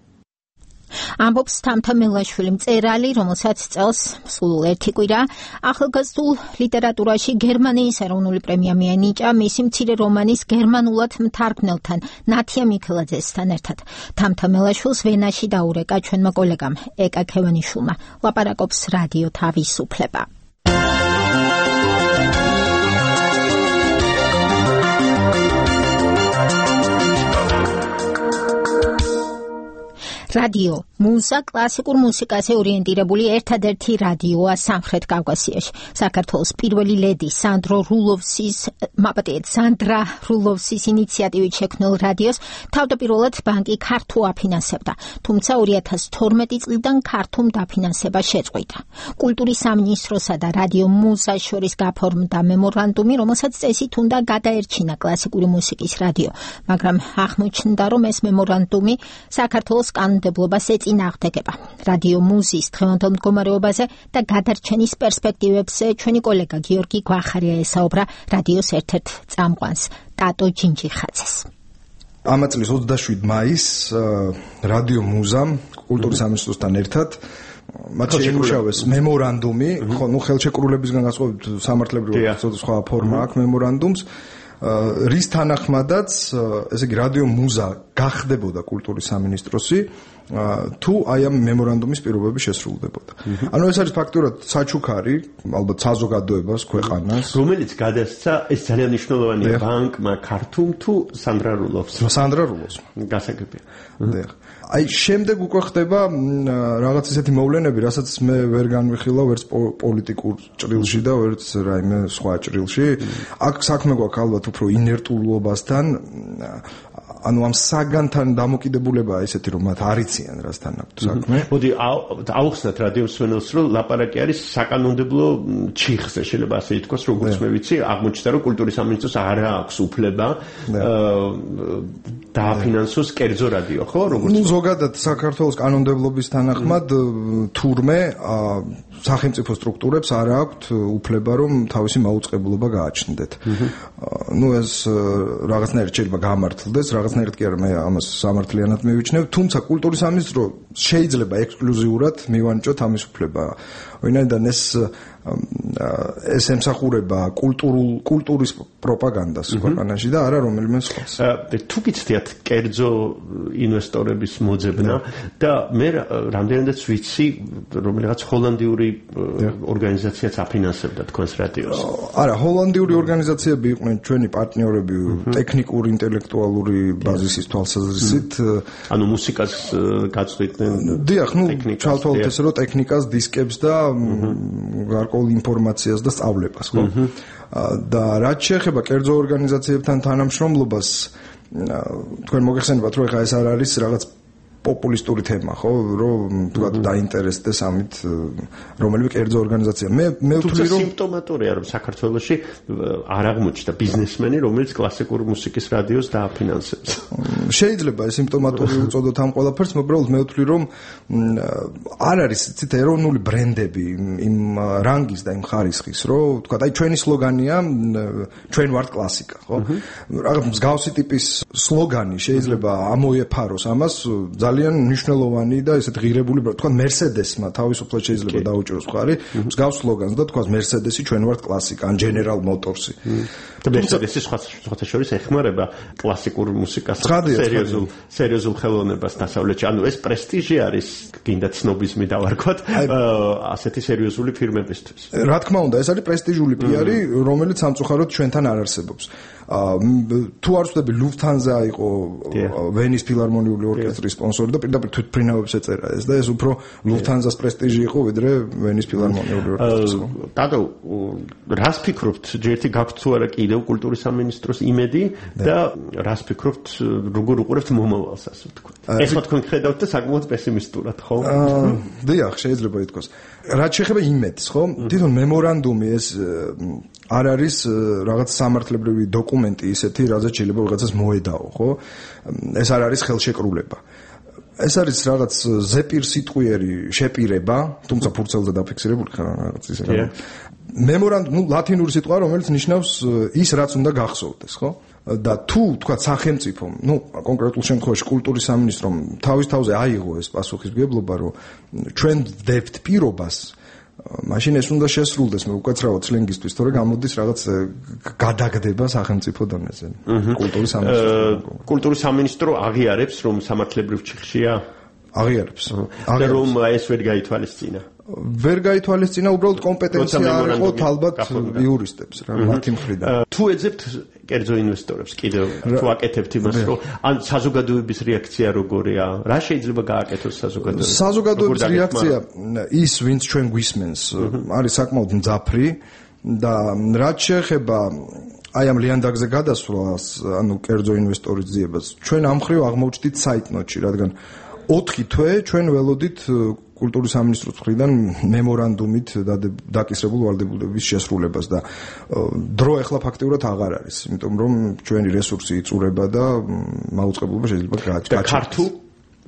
A: ამბობს თამთა მელაშვილი, მწერალი, რომელსაც წელს სულ 1 კვირა ახალგაზრდულ ლიტერატურაში გერმანიის ეროვნული პრემია მიენიჭა მისი მცირე რომანის გერმანულად მთარგმნელთან ნათია მიქელაძესთან ერთად. თამთა მელაშვილს ვენაში დაურეკა ჩვენმა კოლეგამ ეკა ქევანიშვილმა. ლაპარაკობს რადიო თავისუფლება. რადიო მუზა კლასიკურ მუსიკაზე ორიენტირებული ერთადერთი რადიოა სამხრეთ კავკასიაში. საქართველოს პირველი ლედი სანდრა რულოვსის ინიციატივით შექმნილ რადიოს თავდაპირველად ბანკი ქართუ აფინანსებდა, თუმცა 2012 წლიდან ქართუმ დაფინანსება შეწყვიტა. კულტურის სამინისტროსა და რადიო მუზას შორის გაფორმდა მემორანდუმი, რომელსაც წესით უნდა გადაერჩინა კლასიკური მუსიკის რადიო, მაგრამ აღმოჩნდა, რომ ეს მემორანდუმი საქართველოს კანონმდებლობას ეწინააღმდეგება. რადიო მუზის დღევანდელ მდგომარეობაზე და გადარჩენის პერსპექტივებზე ჩვენი კოლეგა გიორგი გვახარია ესაუბრა რადიოს ერთ-ერთ წამყვანს ტატო ჯინჯიხაძეს.
G: ამა წლის 27 მაისს რადიო მუზამ კულტურის სამინისტროსთან ერთად მათ შეიმუშავეს მემორანდუმი, ხელშეკრულებისგან განსხვავებით სამართლებრივი სხვა ფორმა აქვს მემორანდუმს, რის თანახმადაც, ესე იგი რადიო მუზა გახდებოდა კულტურის სამინისტროსი, თუ აი ამ მემორანდუმის პირობები შესრულდებოდა. ანუ ეს არის ფაქტურად საჩუქარი, ალბათ საზოგადოებას, ქვეყანას,
E: რომელიც გადასცა ეს ძალიან მნიშვნელოვანია ბანკმა ქართუმ თუ სანდრა რულოვს.
G: სანდრა რულოვს.
E: გასაგებია.
G: აი შემდეგ უკვე ხდება რაღაც ისეთი მოვლენები, რასაც მე ვერ განვიხილავ ვერც პოლიტიკურ ჭრილში და ვერც რაიმე სხვა ჭრილში. აქ საქმე გვაქვს ალბათ უფრო ინერტულობასთან, ანუ ამ საგანთან დამოკიდებულებაა ისეთი, რომ მათ არ იციან რასთან აქვს საქმე.
E: მოდი აუხსნათ რადიო მსმენელს, რომ ლაპარაკი არის საკანონმდებლო ჩიხზე, შეიძლება ასე ითქვას, როგორც მე ვიცი, აღმოჩნდა, რომ კულტურის სამინისტროს არ აქვს უფლება დააფინანსოს კერძო რადიო, ხო? როგორც
G: ზოგადად საქართველოს კანონმდებლობის თანახმად თურმე სახელმწიფო სტრუქტურებს არ აქვთ უფლება, რომ თავისი მაუწყებლობა გააჩნდეთ. ეს რაღაცნაირად შეიძლება გამართლდეს, რაღაცნაირად კი არა, მე ამას სამართლიანად მივიჩნევ, თუმცა კულტურის სამინისტრო შეიძლება ექსკლუზიურად მივანიჭოთ ამის უფლება. ვინაიდან ეს ემსახურება კულტურის პროპაგანდას ქვეყანაში და არა რომელიმე სხვას.
E: თუ გიცდიათ კერძო ინვესტორების მოძებნა და მე რამდენადაც ვიცი, რომელიღაც ჰოლანდიური ორგანიზაციაც აფინანსებდა თქვენს რადიოს.
G: არა, ჰოლანდიური ორგანიზაციები იყვნენ ჩვენი პარტნიორები ტექნიკური, ინტელექტუალური ბაზისის თვალსაზრისით.
E: ანუ მუსიკას გაწყვეტდნენ.
G: დიახ, ჩავთვალოთ ესე, რომ ტექნიკას, დისკებს და გარკვეულ ინფორმაციას და სწავლებას, ხო? და რაც შეეხება კერძო ორგანიზაციებთან თანამშრომლობას, თქვენ მოგეხსენებათ, რომ ეხლა ეს არ არის რაღაც პოპულისტური თემა, ხო, რომ თქვა დაინტერესდეს ამით რომელიმე კერძო ორგანიზაცია. მე ვთვლი, რომ
E: სიმპტომატურია, რომ საქართველოში არ აღმოჩნდა ბიზნესმენი, რომელიც კლასიკური მუსიკის რადიოს დააფინანსებს.
G: შეიძლება ეს სიმპტომატური უწოდოთ ამ ყველაფერს, უბრალოდ მე ვთვლი, რომ არ არის ცით ეროვნული ბრენდები იმ რანგის და იმ ხარისხის, რომ თქვა, აი ჩვენი სლოგანია, ჩვენ ვართ კლასიკა, ხო? რაღაც მსგავსი ტიპის სლოგანი შეიძლება ამოეფაროს ამას ძალიან მნიშვნელოვანი და ესეთ ღირებული, თქვა Mercedes-მა თავისუფლად შეიძლება დაუჭიროს მხარი მსგავს სლოგანს და თქვა Mercedes-ი ჩვენ ვართ კლასიკა, ან General Motors-ი.
E: და Mercedes-ი სხვათა შორის ეხმარება კლასიკურ მუსიკას სერიოზულ ხელოვნებას დასავლეთში. ანუ ეს პრესტიჟი არის, გინდა ცნობიზმი დავარქვათ, ასეთი სერიოზული ფირმებისთვის.
G: რა თქმა უნდა, ეს არის პრესტიჟული პიარი, რომელიც სამწუხაროდ ჩვენთან არ არსებობს. თუ არ ვწდები Lufthansa იყო ვენის ფილარმონიული ორკესტრის სპონსორი და პირდაპირ თვითმფრინავებს ეწერა ეს და ეს უფრო Lufthansa-ს პრესტიჟი იყო ვიდრე ვენის ფილარმონიული ორკესტრის.
E: დადო, რას ფიქრობთ, ჯერთი გაქვთ თუ არა კიდევ კულტურის სამინისტროს იმედი და რას ფიქრობთ, როგორ უყურებთ მომავალს, ასე ვთქვათ. ეს თქვენ ხედავთ და საკმაოდ პესიმისტურად, ხო?
G: დიახ, შეიძლება ითქვას. რაც შეეხება იმედს, ხო? თვითონ მემორანდუმი ეს
I: არ არის რაღაც სამართლებრივი დოკუმენტი ისეთი, რაზეც შეიძლება ვიღაცას მოედაო, ხო? ეს არ არის ხელშეკრულება. ეს არის რაღაც ზეპირსიტყვიერი შეპირება, თუმცა ფურცელზე დაფიქსირებული ხარ რაღაც ისე. მემორანდუმი, ლათინური სიტყვა, რომელიც ნიშნავს ის, რაც უნდა გახსოვდეს, ხო? და თუ თქვა სახელმწიფომ, კონკრეტულ შემთხვევაში კულტურის სამინისტრომ თავის თავზე აიღო ეს პასუხისმგებლობა, რომ ჩვენ ვდებთ პირობას, მაშინ ეს უნდა შესრულდეს, მე უკაცრავად სლენგისთვის, თორე გამოდის რაღაც გადაგდება სახელმწიფო დონეზე. კულტურის სამინისტრო.
E: კულტურის სამინისტრო აღიარებს, რომ სამართლებრივ ჩიხშია?
I: აღიარებს.
E: და რომ ეს ვერ გაითვალისწინა.
I: ვერ გაითვალისწინა, უბრალოდ კომპეტენცია არ იყო ალბათ იურისტებს რა, მათი მხრიდან.
E: თუ ეძებთ კერძო ინვესტორებს კიდევ თუ აკეთებთ იმას, რომ ან საზოგადოების რეაქცია როგორია? რა შეიძლება გააკეთოს საზოგადოებამ?
I: საზოგადოების რეაქცია ის, ვინც ჩვენ გვისმენს, არის საკმაოდ მძაფრი და რაც შეეხება აი ამ ლიანდაგზე გადასვლას, ანუ კერძო ინვესტორის ძიებას, ჩვენ ამ მხრივ აღმოჩნდით საიტნოტში, რადგან 4 თვე ჩვენ ველოდით კულტურის სამინისტროს მხრიდან მემორანდუმით დაკისრებულ ვალდებულების შესრულებას და დრო ახლა ფაქტიურად აღარ არის, იმიტომ რომ ჩვენი რესურსი იწურება და მაუწყებლობა შეიძლება გააჩნდეს.
E: და ქართულ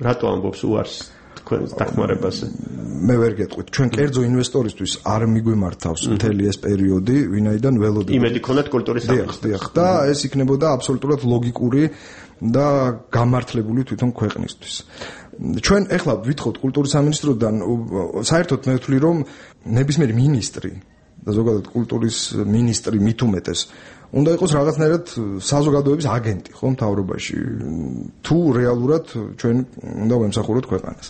E: რატო ამბობს უარს თქვენს დახმარებაზე?
I: მე ვერ გეტყვით. ჩვენ კერძო ინვესტორისთვის არ მიგვიმართავს მთელი ეს პერიოდი, ვინაიდან ველოდებით.
E: იმედი ქონდათ კულტურის
I: სამინისტროს. და ეს იქნებოდა აბსოლუტურად ლოგიკური და გამართლებული თვითონ ქვეყნისთვის. ჩვენ ეხლა ვითხოვთ კულტურის სამინისტროდან, საერთოდ მე ვთვლი, რომ ნებისმიერი მინისტრი და ზოგადად კულტურის მინისტრი მით უმეტეს უნდა იყოს რაღაცნაირად საზოგადოების აგენტი, ხო, მთავრობაში. თუ რეალურად ჩვენ უნდა ვემსახუროთ ქვეყანას.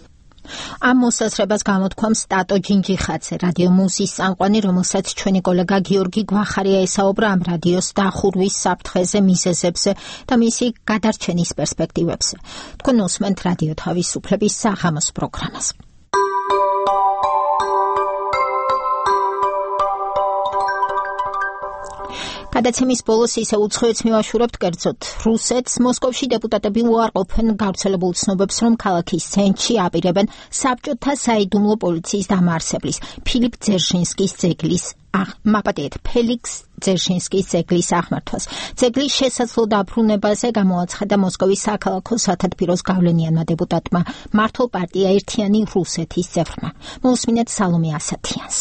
A: ამ მოსაზრებას გამოთქვამს სტატო ჯინჯიხაძე, რადიო მუსის წამყვანი, რომელსაც ჩვენი კოლეგა გიორგი გვახარია ესაუბრა ამ რადიოს დახურვის საფრთხეზე, მიზეზებზე და მისი გადარჩენის პერსპექტივებზე. თქვენ უსმენთ რადიო თავისუფლების საღამოს პროგრამას. გადაცემის ბოლოს ისე უცხოეთს მივაშურებთ კერძოდ რუსეთს. მოსკოვში დეპუტატები უარყოფენ გავრცელებულ ცნობებს, რომ ქალაქის ცენტრში აპირებენ საბჭოთა საიდუმლო პოლიციის დამაარსებლის ფილიპ ძერჟინსკის ძეგლის ფელიქს ძერჟინსკის ძეგლის აღმართვას. ძეგლის შესაძლო დაბრუნებაზე გამოაცხადა მოსკოვის საქალაქო სათათბიროს გავლენიანმა დეპუტატმა, მართლ პარტია ერთიანი რუსეთის წევრმა. მოусმინეთ სალომე ასათიანს.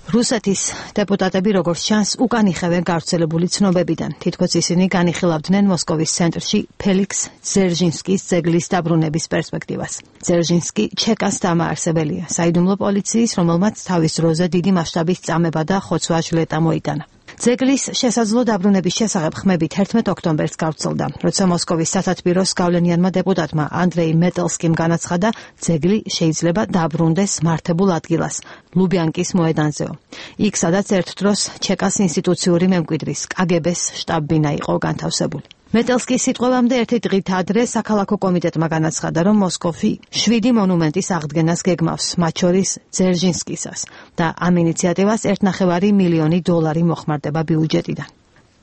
C: რუსეთის დეპუტატები როგორც ჩანს უკან იხევენ გავრცელებული ცნობებიდან. თითქოს ისინი განიხილავდნენ მოსკოვის ცენტრში ფელიქს ძერჟინსკის ძეგლის დაბრუნების პერსპექტივას. ძერჟინსკი ჩეკას დამაარსებელია, საიდუმლო პოლიციის, რომელმაც თავის დროზე დიდი მასშტაბის წამება და ხოცვა ჟლეტა მოიტანა. ძეგლის შესაძლო დაბრუნების შესახებ ხმები 11 ოქტომბერს გავრცელდა, როცა მოსკოვის სათათბიროს გავლენიანმა დეპუტატმა ანდრეი მეტელსკიმ განაცხადა, ძეგლი შეიძლება დაბრუნდეს მართებულ ადგილას, ლუბიანკის მოედანზეო. იქ, სადაც ერთ დროს ჩეკას ინსტიტუციური მემკვიდრის კგბ-ს შტაბ-ბინა იყო განთავსებული. მეტელსკის სიტყვებამდე ერთი დღით ადრე საქალაქო კომიტეტმა განაცხადა, რომ მოსკოვი 7 მონუმენტის აღდგენას გეგმავს, მათ შორის ძერჟინსკისას და ამ ინიციატივას $1.5 მილიონი მოხმარდება ბიუჯეტიდან.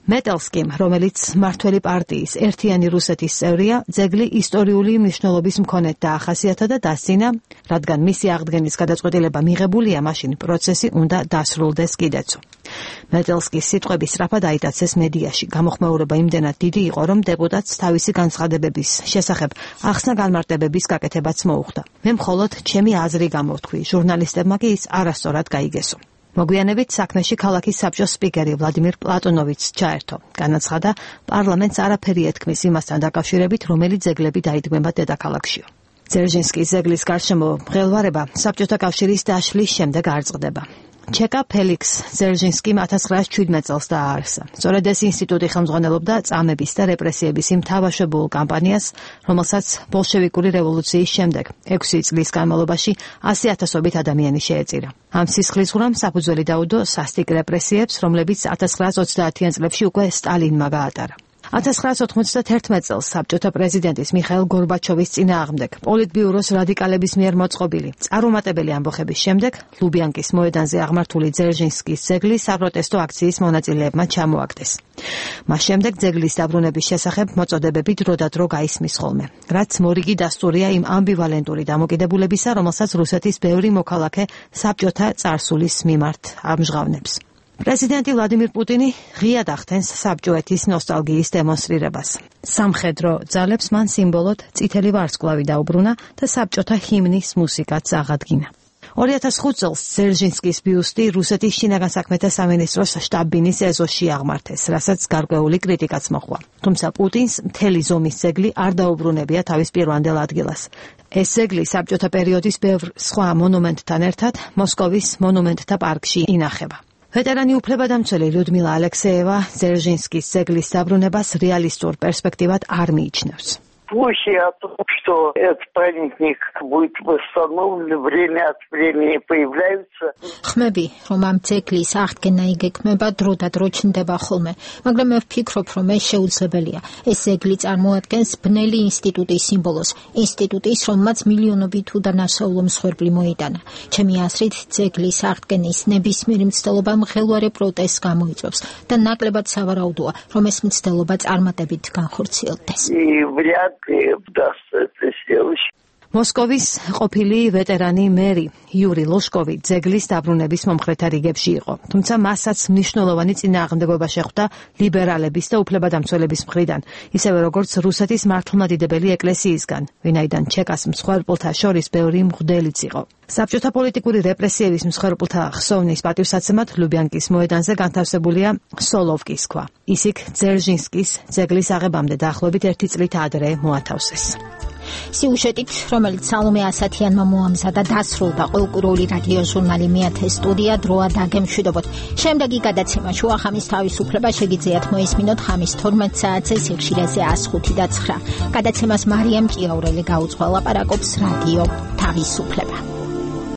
C: მეტელსკიმ, რომელიც მმართველი პარტიის ერთიანი რუსეთის წევრია, ძეგლი ისტორიული მნიშვნელობის მქონედ დაახასიათა და დასძინა, რადგან მისი აღდგენის გადაწყვეტილება მიღებულია, მაშინ პროცესი უნდა დასრულდეს კიდეცო. მეტელსკის სიტყვები სწრაფად აიტაცეს მედიაში. გამოხმაურება იმდენად დიდი იყო, რომ დეპუტატს თავისი განცხადებების შესახებ ახსნა-განმარტებების გაკეთებაც მოუხდა. მე მხოლოდ ჩემი აზრი გამოვთქვი, ჟურნალისტებმა კი ის არასწორად გაიგესო. მოგვიანებით საქმეში ქალაქის საბჭოს სპიკერი ვლადიმირ პლატონოვიჩს ჩაერთო. განაცხადა, პარლამენტს არაფერი ეთქმის იმასთან დაკავშირებით, რომელი ძეგლები დაიდგმება დედაქალაქშიო. ძერჟინსკის ძეგლის გარშემო მღელვარება საბჭოთა კავშირის დაშლის შემდეგ არ წყდება. ჩეკა ფელიქს ძერჟინსკიმ 1917 წელს დააარსა. სწორედ ეს ინსტიტუტი ხელმძღვანელობდა წამების და რეპრესიების იმ თავშებულ კამპანიას, რომელსაც ბოლშევიკური რევოლუციის შემდეგ 6 წლის განმავლობაში 100,000-ობით ადამიანი შეეწირა. ამ სისხლისღვრამ საფუძველი დაუდო სასტიკ რეპრესიებს, რომლებიც 1930-იან წლებში უკვე სტალინმა გაატარა. 1991 წელს საბჭოთა პრეზიდენტის მიხაილ გორბაჩოვის წინააღმდეგ პოლიტბიუროს რადიკალების მიერ მოწყობილი წარუმატებელი ამბოხების შემდეგ ლუბიანკის მოედანზე აღმართული ძერჟინსკის ძეგლი საპროტესტო აქციის მონაწილეებმა ჩამოაგდეს. მას შემდეგ ძეგლის დაბრუნების შესახებ მოწოდებები დროდადრო გაისმის ხოლმე, რაც მორიგი დასტურია იმ ამბივალენტური დამოკიდებულებისა, რომელსაც რუსეთის ბევრი მოქალაქე საბჭოთა წარსულის მიმართ ამჟღავნებს. პრეზიდენტი ვლადიმირ პუტინი ღიად ახდენს საბჭოეთის ნოსტალგიის დემონსტრირებას. სამხედრო ძალებს მან სიმბოლოდ წითელი ვარსკვლავი დაუბრუნა და საბჭოთა ჰიმნის მუსიკაც აღადგინა. 2005 წელს ზერჟინსკის ბიუსტი რუსეთის შინაგან საქმეთა სამინისტროს შტაბ-ბინის ეზოში აღმართეს, რასაც გარკვეული კრიტიკაც მოჰყვა. თუმცა პუტინს მთელი ზომის ძეგლი არ დაუბრუნებია თავის პირვანდელ ადგილას. ეს ძეგლი საბჭოთა პერიოდის ბევრ სხვა მონუმენტთან ერთად მოსკოვის მონუმენტთა პარკში ინახება. ვეტერანი უფლებადამცველი ლიუდმილა ალექსეევა ზერჟინსკის ძეგლის დაბრუნებას რეალისტურ პერსპექტივად არ მიიჩნევს.
H: Слухи о том, что этот памятник будет восстановлен, время от времени появляются.
A: ხმები, რომ ამ ძეგლის აღდგენა იგეგმება დრო და დრო ჩნდება ხოლმე, მაგრამ მე ვფიქრობ, რომ ეს შეუძლებელია. ეს ძეგლი წარმოადგენს ბნელი ინსტიტუტის სიმბოლოს, ინსტიტუტის, რომელმაც მილიონობით უდანაშაულო მსხვერპლი მოიტანა. ჩემი აზრით, ძეგლის აღდგენის ნებისმიერი მცდელობა მღელვარე პროტესტს გამოიწვევს და ნაკლებად სავარაუდოა, რომ ეს მცდელობა წარმატებით განხორციელდეს. მოსკოვის ყოფილი ვეტერანი მერი იური ლოშკოვი ძეგლის დაბრუნების მომხრეთა რიგებში იყო, თუმცა მასაც მნიშვნელოვანი წინააღმდეგობა შეხვდა ლიბერალების და უფლებადამცველების მხრიდან, ისევე როგორც რუსეთის მართლმადიდებელი ეკლესიისგან, ვინაიდან ჩეკას მსხვერპლთა შორის ბევრი მღვდელიც იყო. საბჭოთა პოლიტიკური რეპრესიების მსხვერპლთა ხსოვნის პატივსაცემად ლუბიანკის მოედანზე განთავსებულია სოლოვკის ქვა. ის იქ ძერჟინსკის ძეგლის აღებამდე დაახლოებით 1 წლით ადრე მოათავსეს. სიუჟეტით, რომელიც სალომე ასათიანმა მოამზადა, დასრულდა ყოველკვირეული რადიო ჟურნალი მეათე სტუდია დროა დაგემშვიდობოთ. შემდეგი გადაცემა შუახამის თავისუფლება შეგიძლიათ მოისმინოთ ხამის 12 საათზე სიხშირეზე 105 და 9. გადაცემას მარიამ ჭიაურელი გაუძღვა, ლაპარაკობს რადიო თავისუფლება.